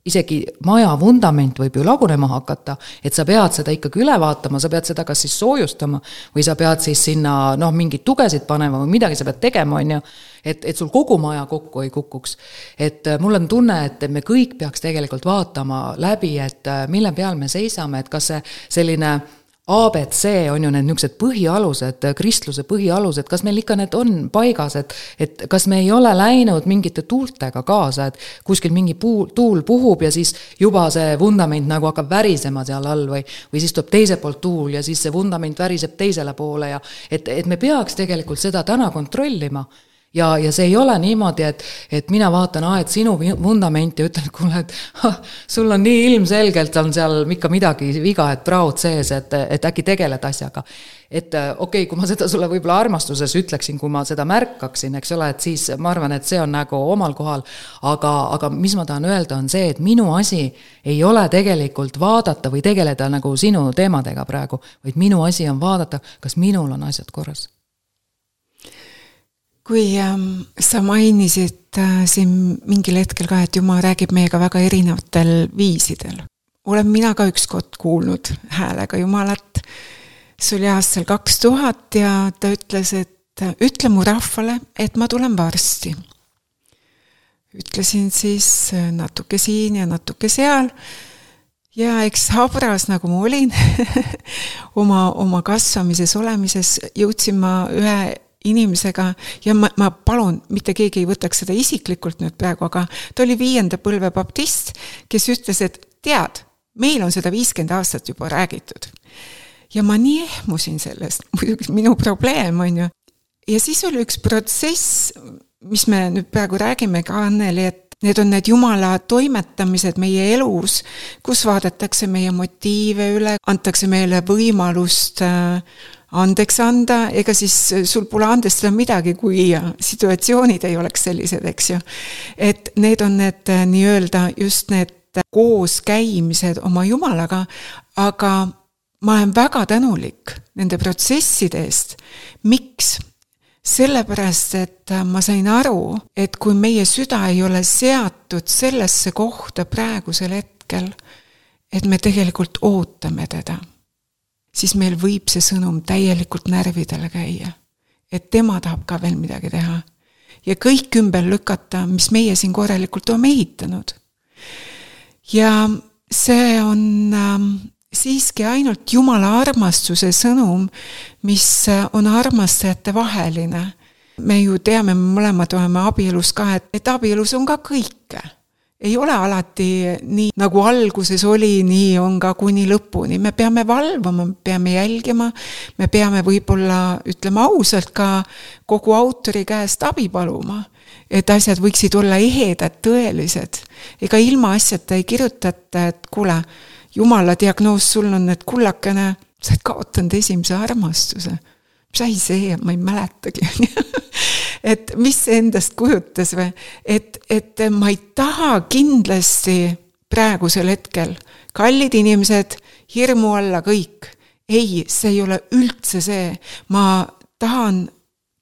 isegi maja vundament võib ju lagunema hakata, et sa pead seda ikkagi üle vaatama, sa pead seda kas siis soojustama või sa pead siis sinna noh, mingid tugesid panema või midagi sa pead tegema, on ju, et, et sul kogu maja kokku ei kukuks. Et mul on tunne, et me kõik peaks tegelikult vaatama läbi, et mille peal me seisame, et kas see selline A B C on ju need niisugused põhialused, kristluse põhialused, kas meil ikka need on paigas, et, et kas me ei ole läinud mingite tuultega kaasa, et kuskil mingi puu, tuul puhub ja siis juba see vundament nagu hakkab värisema seal all või, või siis tuleb teise poolt tuul ja siis see vundament väriseb teisele poole ja et, et me peaks tegelikult seda täna kontrollima. Ja, ja see ei ole niimoodi, et, et mina vaatan, ah, et sinu vundament ja ütlen, kuule, et ha, sul on nii ilmselgelt on seal ikka midagi viga, et praud sees, et, et äkki tegeled asjaga. Et okei, okay, kui ma seda sulle võib-olla armastuses ütleksin, kui ma seda märkaksin, eks ole, et siis ma arvan, et see on nagu omal kohal, aga, aga mis ma tahan öelda on see, et minu asi ei ole tegelikult vaadata või tegeleda nagu sinu teemadega praegu, vaid minu asi on vaadata, kas minul on asjad korras. Kui ähm, sa mainisid äh, siin mingil hetkel ka, et Jumal räägib meiega väga erinevatel viisidel. Olen mina ka ükskord kuulnud häälega Jumalat. See oli aastal kaks tuhat ja ta ütles, et ütle mu rahvale, et ma tulen varsti. Ütlesin siis natuke siin ja natuke seal. Ja eks habras, nagu ma olin, oma, oma kasvamises olemises jõudsin ma ühe inimesega ja ma, ma palun, mitte keegi ei võtaks seda isiklikult nüüd praegu, aga ta oli viienda põlve baptist, kes ütles, et tead, meil on seda viiskümmend aastat juba räägitud. Ja ma nii ehmusin sellest, muidugi minu probleem on ju. Ja siis oli üks protsess, mis me nüüd praegu räägime ka Anneli, et need on need Jumala toimetamised meie elus, kus vaadatakse meie motiive üle, antakse meile võimalust andeks anda, ega siis sul pole andestada midagi, kui situatsioonid ei oleks sellised, eks ju. Et need on need nii-öelda just need koos käimised oma Jumalaga, aga ma olen väga tänulik nende protsesside eest. Miks? Sellepärast, et ma sain aru, et kui meie süda ei ole seatud sellesse kohta praegusel hetkel, et me tegelikult ootame teda, siis meil võib see sõnum täielikult närvidele käia. Et tema tahab ka veel midagi teha. Ja kõik ümber lükata, mis meie siin korralikult oleme ehitanud. Ja see on ähm, siiski ainult Jumala armastuse sõnum, mis on armastajate vaheline. Me ju teame, me mõlemad oleme abielus ka, et, et abielus on ka kõike. Ei ole alati nii, nagu alguses oli, nii on ka kuni lõpuni. Me peame valvama, me peame jälgima, me peame võib-olla, ütleme ausalt, ka kogu autori käest abi paluma, et asjad võiksid olla ehedad, tõelised. Ega ilma asjata ei kirjutata, et kuule, Jumala diagnoos sul on, et kullakene, sa oled kaotanud esimese armastuse. Mis ai see, ma ei mäletagi. Et mis endast kujutas või, et, et ma ei taha kindlasti praegusel hetkel kallid inimesed hirmu alla kõik. Ei, see ei ole üldse see. Ma tahan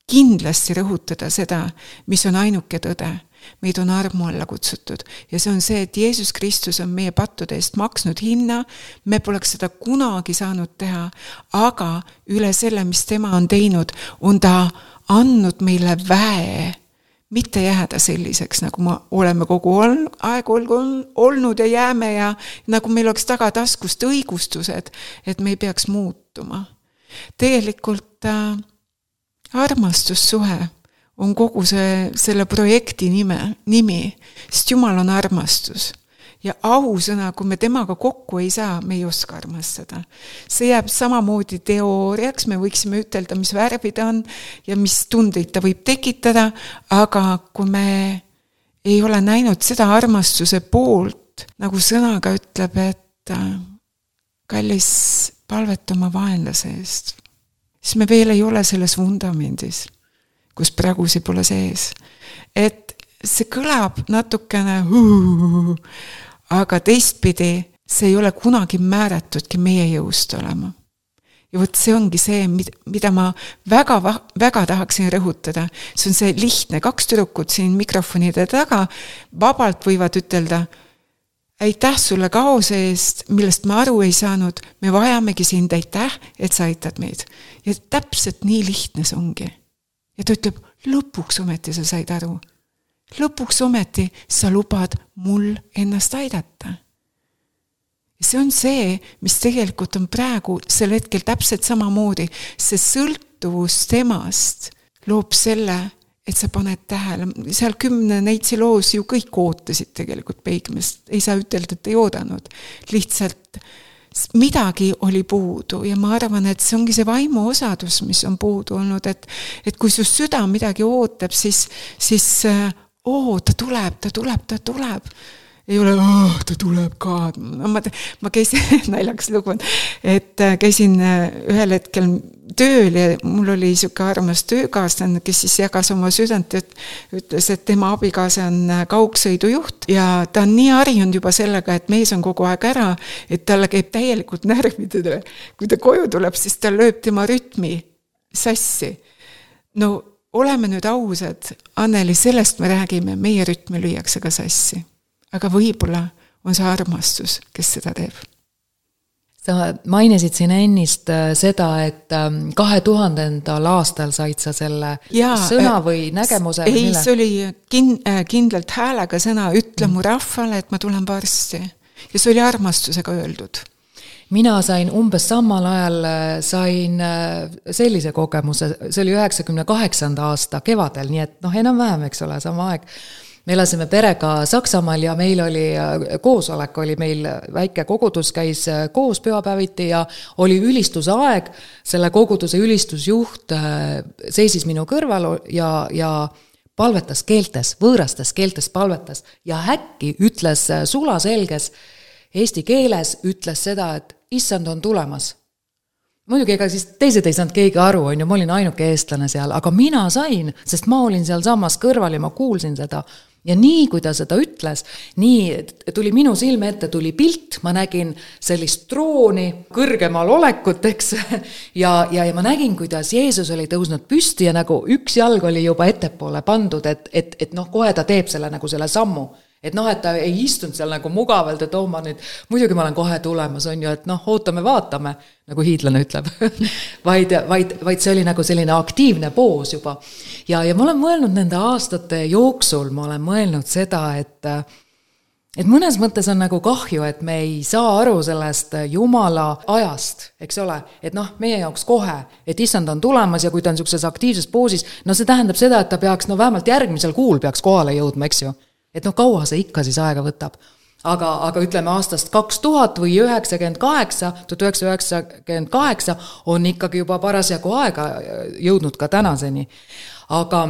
kindlasti rõhutada seda, mis on ainuke tõde. Meid on armu alla kutsutud ja see on see, et Jeesus Kristus on meie pattude eest maksnud hinna, me poleks seda kunagi saanud teha, aga üle selle, mis tema on teinud, on ta andnud meile väe, mitte jääda selliseks, nagu me oleme kogu aeg olnud ja jääme ja nagu meil oleks tagataskust õigustused, et me ei peaks muutuma. Tegelikult äh, armastussuhe on kogu see, selle projekti nime, nimi, sest Jumal on armastus. ja ausõna, kui me temaga kokku ei saa, me ei oska armastada. See jääb samamoodi teooriaks, me võiksime ütelda, mis värvi ta on ja mis tundeid ta võib tekitada, aga kui me ei ole näinud seda armastuse poolt, nagu sõnaga ütleb, et kallis palveta oma vaenlase eest, siis me veel ei ole selles vundamendis, kus pragusi pole sees. Et see kõlab natukene huu, aga teistpidi see ei ole kunagi määratudki meie jõust olema. Ja võt see ongi see, mida ma väga, väga tahaksin rõhutada. See on see lihtne, kaks tüdrukut siin mikrofonide taga vabalt võivad ütelda, aitäh sulle kaose eest, millest ma aru ei saanud, me vajamegi sind, aitäh, et sa aitad meid. Ja täpselt nii lihtne see ongi. Ja ta ütleb, lõpuks ometi sa said aru. Lõpuks ometi sa lubad mul ennast aidata. Ja see on see, mis tegelikult on praegu sel hetkel täpselt samamoodi. See sõltuvus temast loob selle, et sa paned tähele. Seal kümne neitsi loos ju kõik ootasid tegelikult peigmest. Ei saa ütelda, et ei oodanud. Lihtsalt midagi oli puudu ja ma arvan, et see ongi see vaimu osadus, mis on puudu olnud, et, et kui su süda midagi ootab, siis, siis oo, ta tuleb, ta tuleb, ta tuleb. Ei ole, oh, ta tuleb ka. Ma, ma käisin, naljaks lugu, et käisin ühel hetkel tööl ja mul oli siuke armas töökaaslane, kes siis jagas oma südant, et ütles, et tema abikaasa on kaugsõidujuht ja ta on nii harjunud juba sellega, et mees on kogu aeg ära, et talle käib täielikult närvidele. Kui ta koju tuleb, siis ta lööb tema rütmi sassi. No oleme nüüd ausad, Anneli, sellest me räägime, meie rütmi lüüakse ka sassi. Aga võib-olla on see armastus, kes seda teeb. Sa mainisid siin ennist seda, et kahe tuhandendal aastal said sa selle ja, sõna või nägemuse? Ei, mille? See oli kin- kindlalt häälega sõna, ütle mu rahvale, et ma tulen varsti. Ja see oli armastusega öeldud. Mina sain umbes samal ajal sain sellise kogemuse, see oli üheksakümne kaheksanda aasta kevadel, nii et noh, enam vähem, eks ole, sama aeg. Me elasime perega Saksamaal ja meil oli koosolek, oli meil väike kogudus, käis koos pühapäeviti ja oli ülistuse aeg. Selle koguduse ülistusjuht seisis minu kõrval ja, ja palvetas keeltes, võõrastes keeltes palvetas ja äkki ütles sulaselges eesti keeles, ütles seda, et issand on tulemas. Muidugi, ega siis teised ei saanud keegi aru, on ju, ma olin ainuke eestlane seal, aga mina sain, sest ma olin seal samas kõrval ja ma kuulsin seda. Ja nii, kui ta seda ütles, nii tuli minu silme ette, tuli pilt, ma nägin sellist trooni, kõrgemal olekut, eks, ja, ja, ja ma nägin, kuidas Jeesus oli tõusnud püsti ja nagu üks jalg oli juba ettepoole pandud, et, et, et noh, kohe ta teeb selle nagu selle sammu. Et noh, et ta ei istunud seal nagu mugavalt, et oh, ma nüüd, muidugi ma olen kohe tulemas, on ju, et noh, ootame, vaatame, nagu hiidlane ütleb, vaid, vaid, vaid see oli nagu selline aktiivne poos juba. Ja, ja ma olen mõelnud nende aastate jooksul, ma olen mõelnud seda, et, et mõnes mõttes on nagu kahju, et me ei saa aru sellest Jumala ajast, eks ole, et noh, meie jaoks kohe, et issand on tulemas ja kui ta on sellises aktiivses poosis, no see tähendab seda, et ta peaks, no vähemalt järgmisel kuul peaks kohale jõudma, eks ju. Et noh, kaua see ikka siis aega võtab. Aga, aga ütleme aastast kaks tuhat või üheksakümmend kaheksa, tuhat üheksasada üheksakümmend kaheksa on ikkagi juba parasjagu aega jõudnud ka tänaseni. Aga,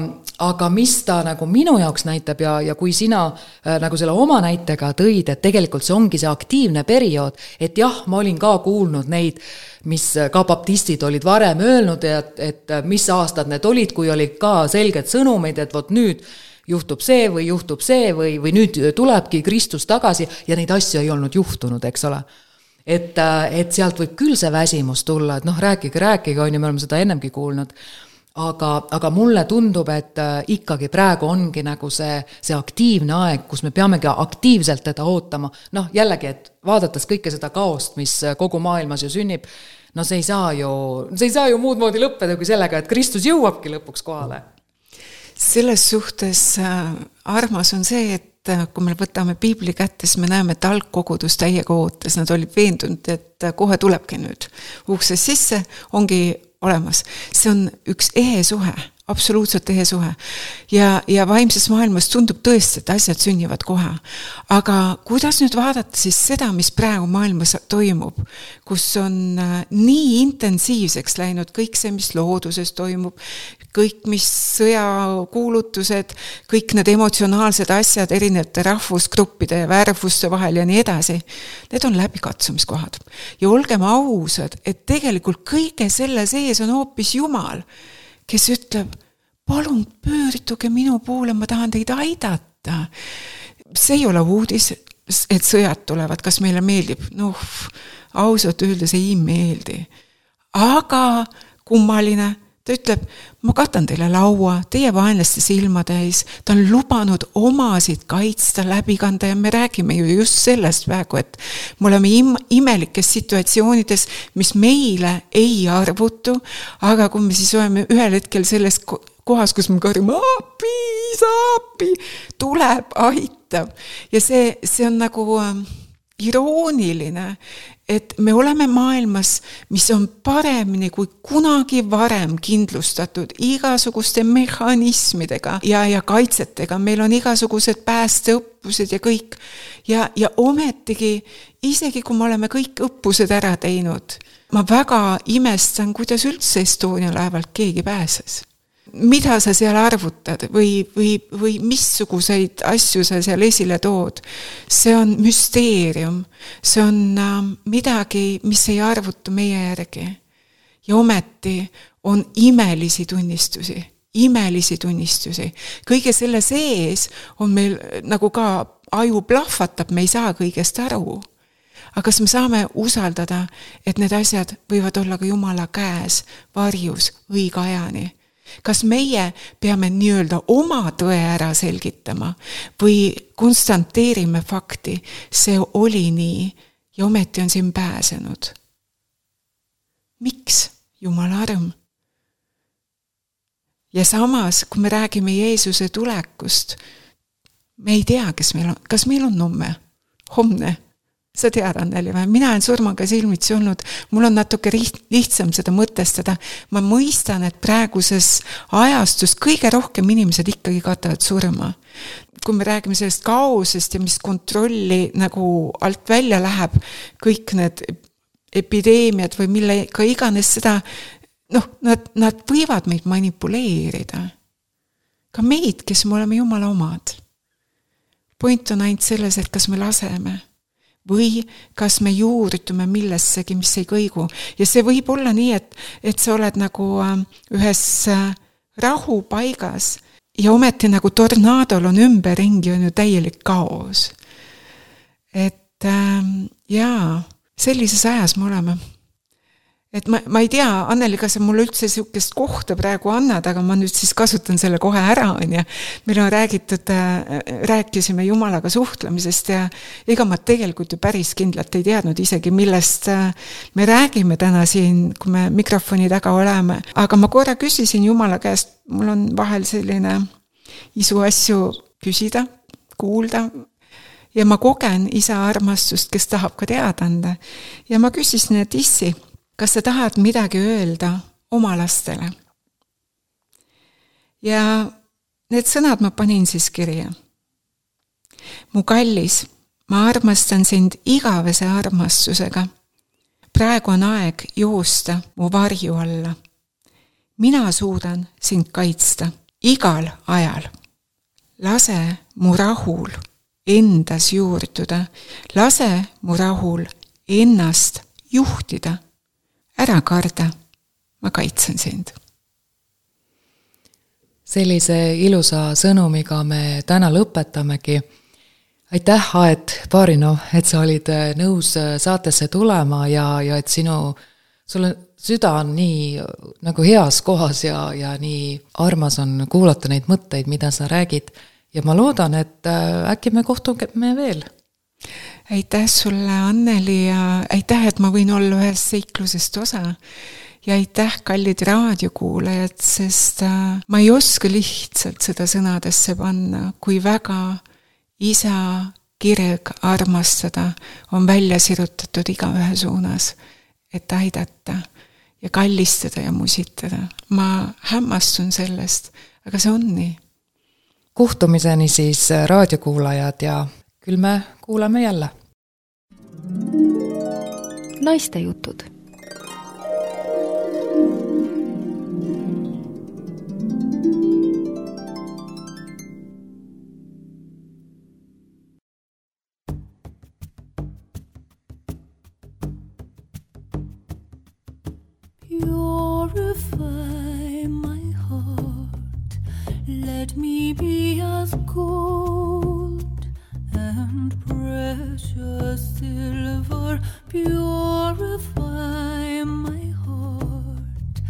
aga mis ta nagu minu jaoks näitab ja, ja kui sina äh, nagu selle oma näitega tõid, et tegelikult see ongi see aktiivne periood, et jah, ma olin ka kuulnud neid, mis ka baptistid olid varem öelnud, et, et mis aastad need olid, kui olid ka selged sõnumid, et vot nüüd juhtub see või juhtub see või, või nüüd tulebki Kristus tagasi ja neid asju ei olnud juhtunud, eks ole. Et, et sealt võib küll see väsimus tulla, et noh, rääkige, rääkige, on ju, me oleme seda ennemgi kuulnud. Aga, aga mulle tundub, et ikkagi praegu ongi nagu see, see aktiivne aeg, kus me peamegi aktiivselt teda ootama. Noh, jällegi, et vaadates kõike seda kaost, mis kogu maailmas ju sünnib, no see ei saa ju, see ei saa ju muud moodi lõppeda kui sellega, et Kristus jõuabki lõpuks kohale. Selles suhtes armas on see, et kui me võtame piibli kätte, siis me näeme, et algkogudus täiega ootas. Nad olid veendunud, et kohe tulebki nüüd. Ukses sisse ongi olemas. See on üks ehe suhe. absoluutselt tehe suhe. Ja, ja vaimses maailmas tundub tõesti, et asjad sünnivad kohe. Aga kuidas nüüd vaadata siis seda, mis praegu maailmas toimub, kus on nii intensiivseks läinud kõik see, mis looduses toimub, kõik, mis sõjakuulutused, kõik need emotsionaalsed asjad erinevate rahvusgruppide ja värvuste vahel ja nii edasi, need on läbikatsumiskohad. Ja olgem ausad, et tegelikult kõige selle sees on hoopis Jumal, kes ütleb, palun pöörduge minu poole, ma tahan teid aidata. See ei ole uudis, et sõjad tulevad, kas meile meeldib? Noh, ausalt öeldes ei meeldi. Aga kummaline, ta ütleb, ma katan teile laua, teie vaenlaste silmatäis, ta on lubanud omasid kaitsta, läbi kanda ja me räägime ju just sellest praegu, et me oleme im- imelikes situatsioonides, mis meile ei arvutu, aga kui me siis oleme ühel hetkel selles kohas, kus me karjame, api, saapi, tuleb, aitab. Ja see, see on nagu irooniline, et me oleme maailmas, mis on paremini kui kunagi varem kindlustatud igasuguste mehhanismidega ja, ja kaitsetega. Meil on igasugused päästeõppused ja kõik. Ja, ja ometigi, isegi kui me oleme kõik õppused ära teinud, ma väga imestan, kuidas üldse Estonia laevalt keegi pääses. Mida sa seal arvutad või, või, või missuguseid asju sa seal esile tood. See on müsteerium. See on äh, midagi, mis ei arvutu meie järgi. Ja ometi on imelisi tunnistusi. Imelisi tunnistusi. Kõige selle sees on meil nagu ka aju plahvatab, me ei saa kõigest aru. Aga kas me saame usaldada, et need asjad võivad olla ka Jumala käes, varjus, õige ajani? Kas meie peame nii-öelda oma tõe ära selgitama või konstanteerime fakti, see oli nii ja ometi on siin pääsenud? Miks? Jumala arm. Ja samas, kui me räägime Jeesuse tulekust, me ei tea, kes meil on, kas meil on homme, homne. Sa tead, Anneli, või? Mina olen surmaga silmitsi olnud, mul on natuke lihtsam seda mõtestada. Ma mõistan, et praeguses ajastus kõige rohkem inimesed ikkagi katavad surma. Kui me räägime sellest kaosest ja mis kontrolli nagu alt välja läheb, kõik need epideemiad või mille ka iganes seda, noh, nad, nad võivad meid manipuleerida. Ka meid, kes me oleme Jumala omad. Point on ainult selles, et kas me laseme või kas me juurdume millessegi, mis ei kõigu. Ja see võib olla nii, et, et sa oled nagu ühes rahupaigas ja ometi nagu tornaadol on ümberringi on ju täielik kaos. Et ähm, jaa, sellises ajas me oleme. Et ma, ma ei tea, Anneli, kas mulle üldse sihukest kohta praegu annad, aga ma nüüd siis kasutan selle kohe ära. Ja meil on räägitud, rääkisime Jumalaga suhtlemisest ja ega ma tegelikult ju päris kindlalt ei teadnud isegi, millest me räägime täna siin, kui me mikrofoni taga oleme. Aga ma korra küsisin Jumala käest, mul on vahel selline isu asju küsida, kuulda ja ma kogen isa armastust, kes tahab ka teada anda. Ja ma küsisin, et issi, kas sa tahad midagi öelda oma lastele? Ja need sõnad ma panin siis kirja. Mu kallis, ma armastan sind igavese armastusega. Praegu on aeg joosta mu varju alla. Mina suudan sind kaitsta igal ajal. Lase mu rahul endas juurduda. Lase mu rahul ennast juhtida. Ära karda, ma kaitsen sind. Sellise ilusa sõnumiga me täna lõpetamegi. Aitäh, Aet Baarinov, et sa olid nõus saatesse tulema ja, ja et sinu, sul süda on nii nagu heas kohas ja, ja nii armas on kuulata neid mõtteid, mida sa räägid. Ja ma loodan, et äkki me kohtume veel. Aitäh sulle, Anneli, ja aitäh, et ma võin olla ühes seiklusest osa. Ja aitäh, kallid raadiokuulajad, sest ma ei oska lihtsalt seda sõnadesse panna, kui väga isa kirg armastada on välja sirutatud iga ühe suunas, et aidata. ja kallistada ja musitada. Ma hämmastun sellest, aga see on nii. Kohtumiseni siis raadiokuulajad ja küll me kuulame jälle. Naiste jutud. Purify my heart, let me be as gold and precious silver. Purify my heart,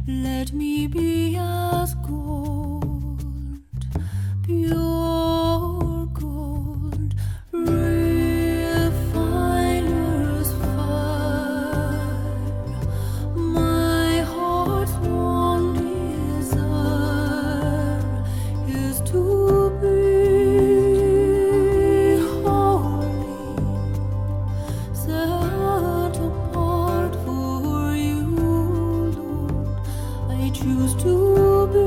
let me be as gold, pure gold, refiner's fire. My heart's one desire is to be holy, set apart for you, Lord. I choose to be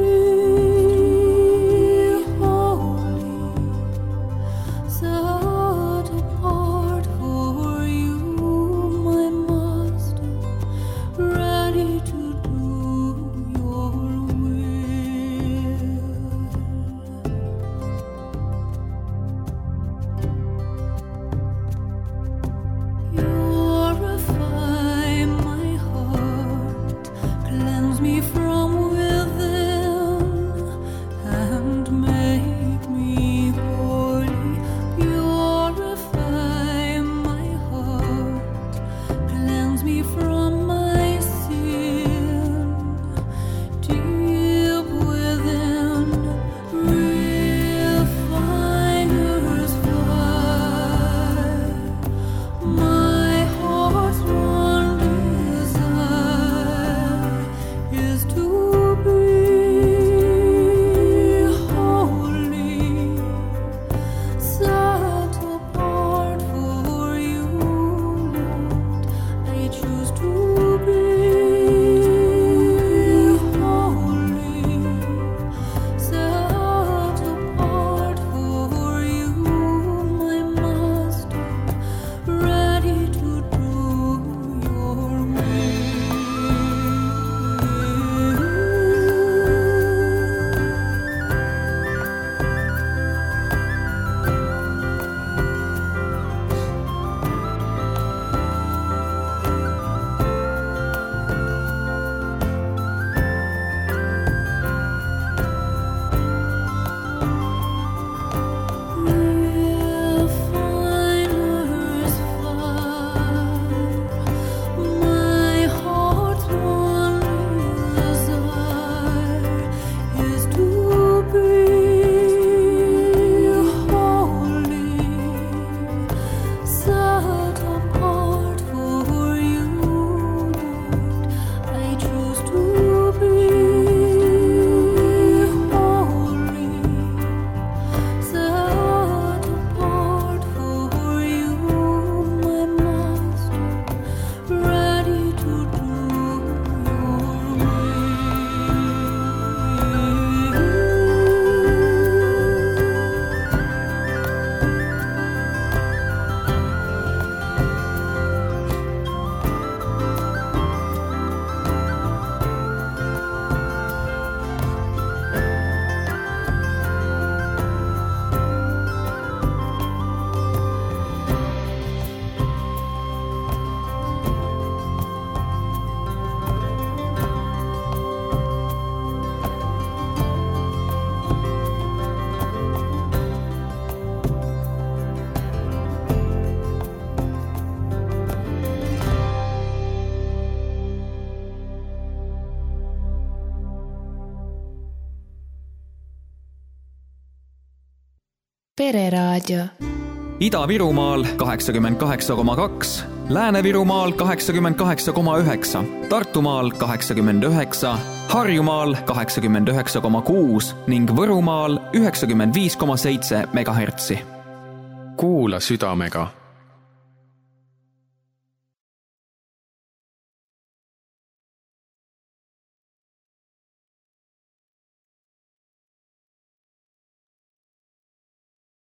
holy, set apart for you, my Master, ready to do your will. Purify my heart, cleanse me from within, and make me holy. Purify my heart, cleanse me from my sin, deep within, refiner's fire. My heart's one desire is to be holy, set apart for you, Lord. I choose to be holy, set apart for you, my Master, ready to do your will. Refiner's fire. My heart's one desire is to be holy, set apart for you, Lord. I choose to be holy, set apart for you, my Master, ready to do your will. Pereraadio. Ida-Virumaal kaheksakümmend kaheksa koma kaks, Lääne-Virumaal kaheksakümmend kaheksa koma üheksa, Tartumaal kaheksakümmend üheksa, Harjumaal kaheksakümmend üheksa koma kuus ning Võrumaal üheksakümmend viis koma seitse megahertsi. Kuula südamega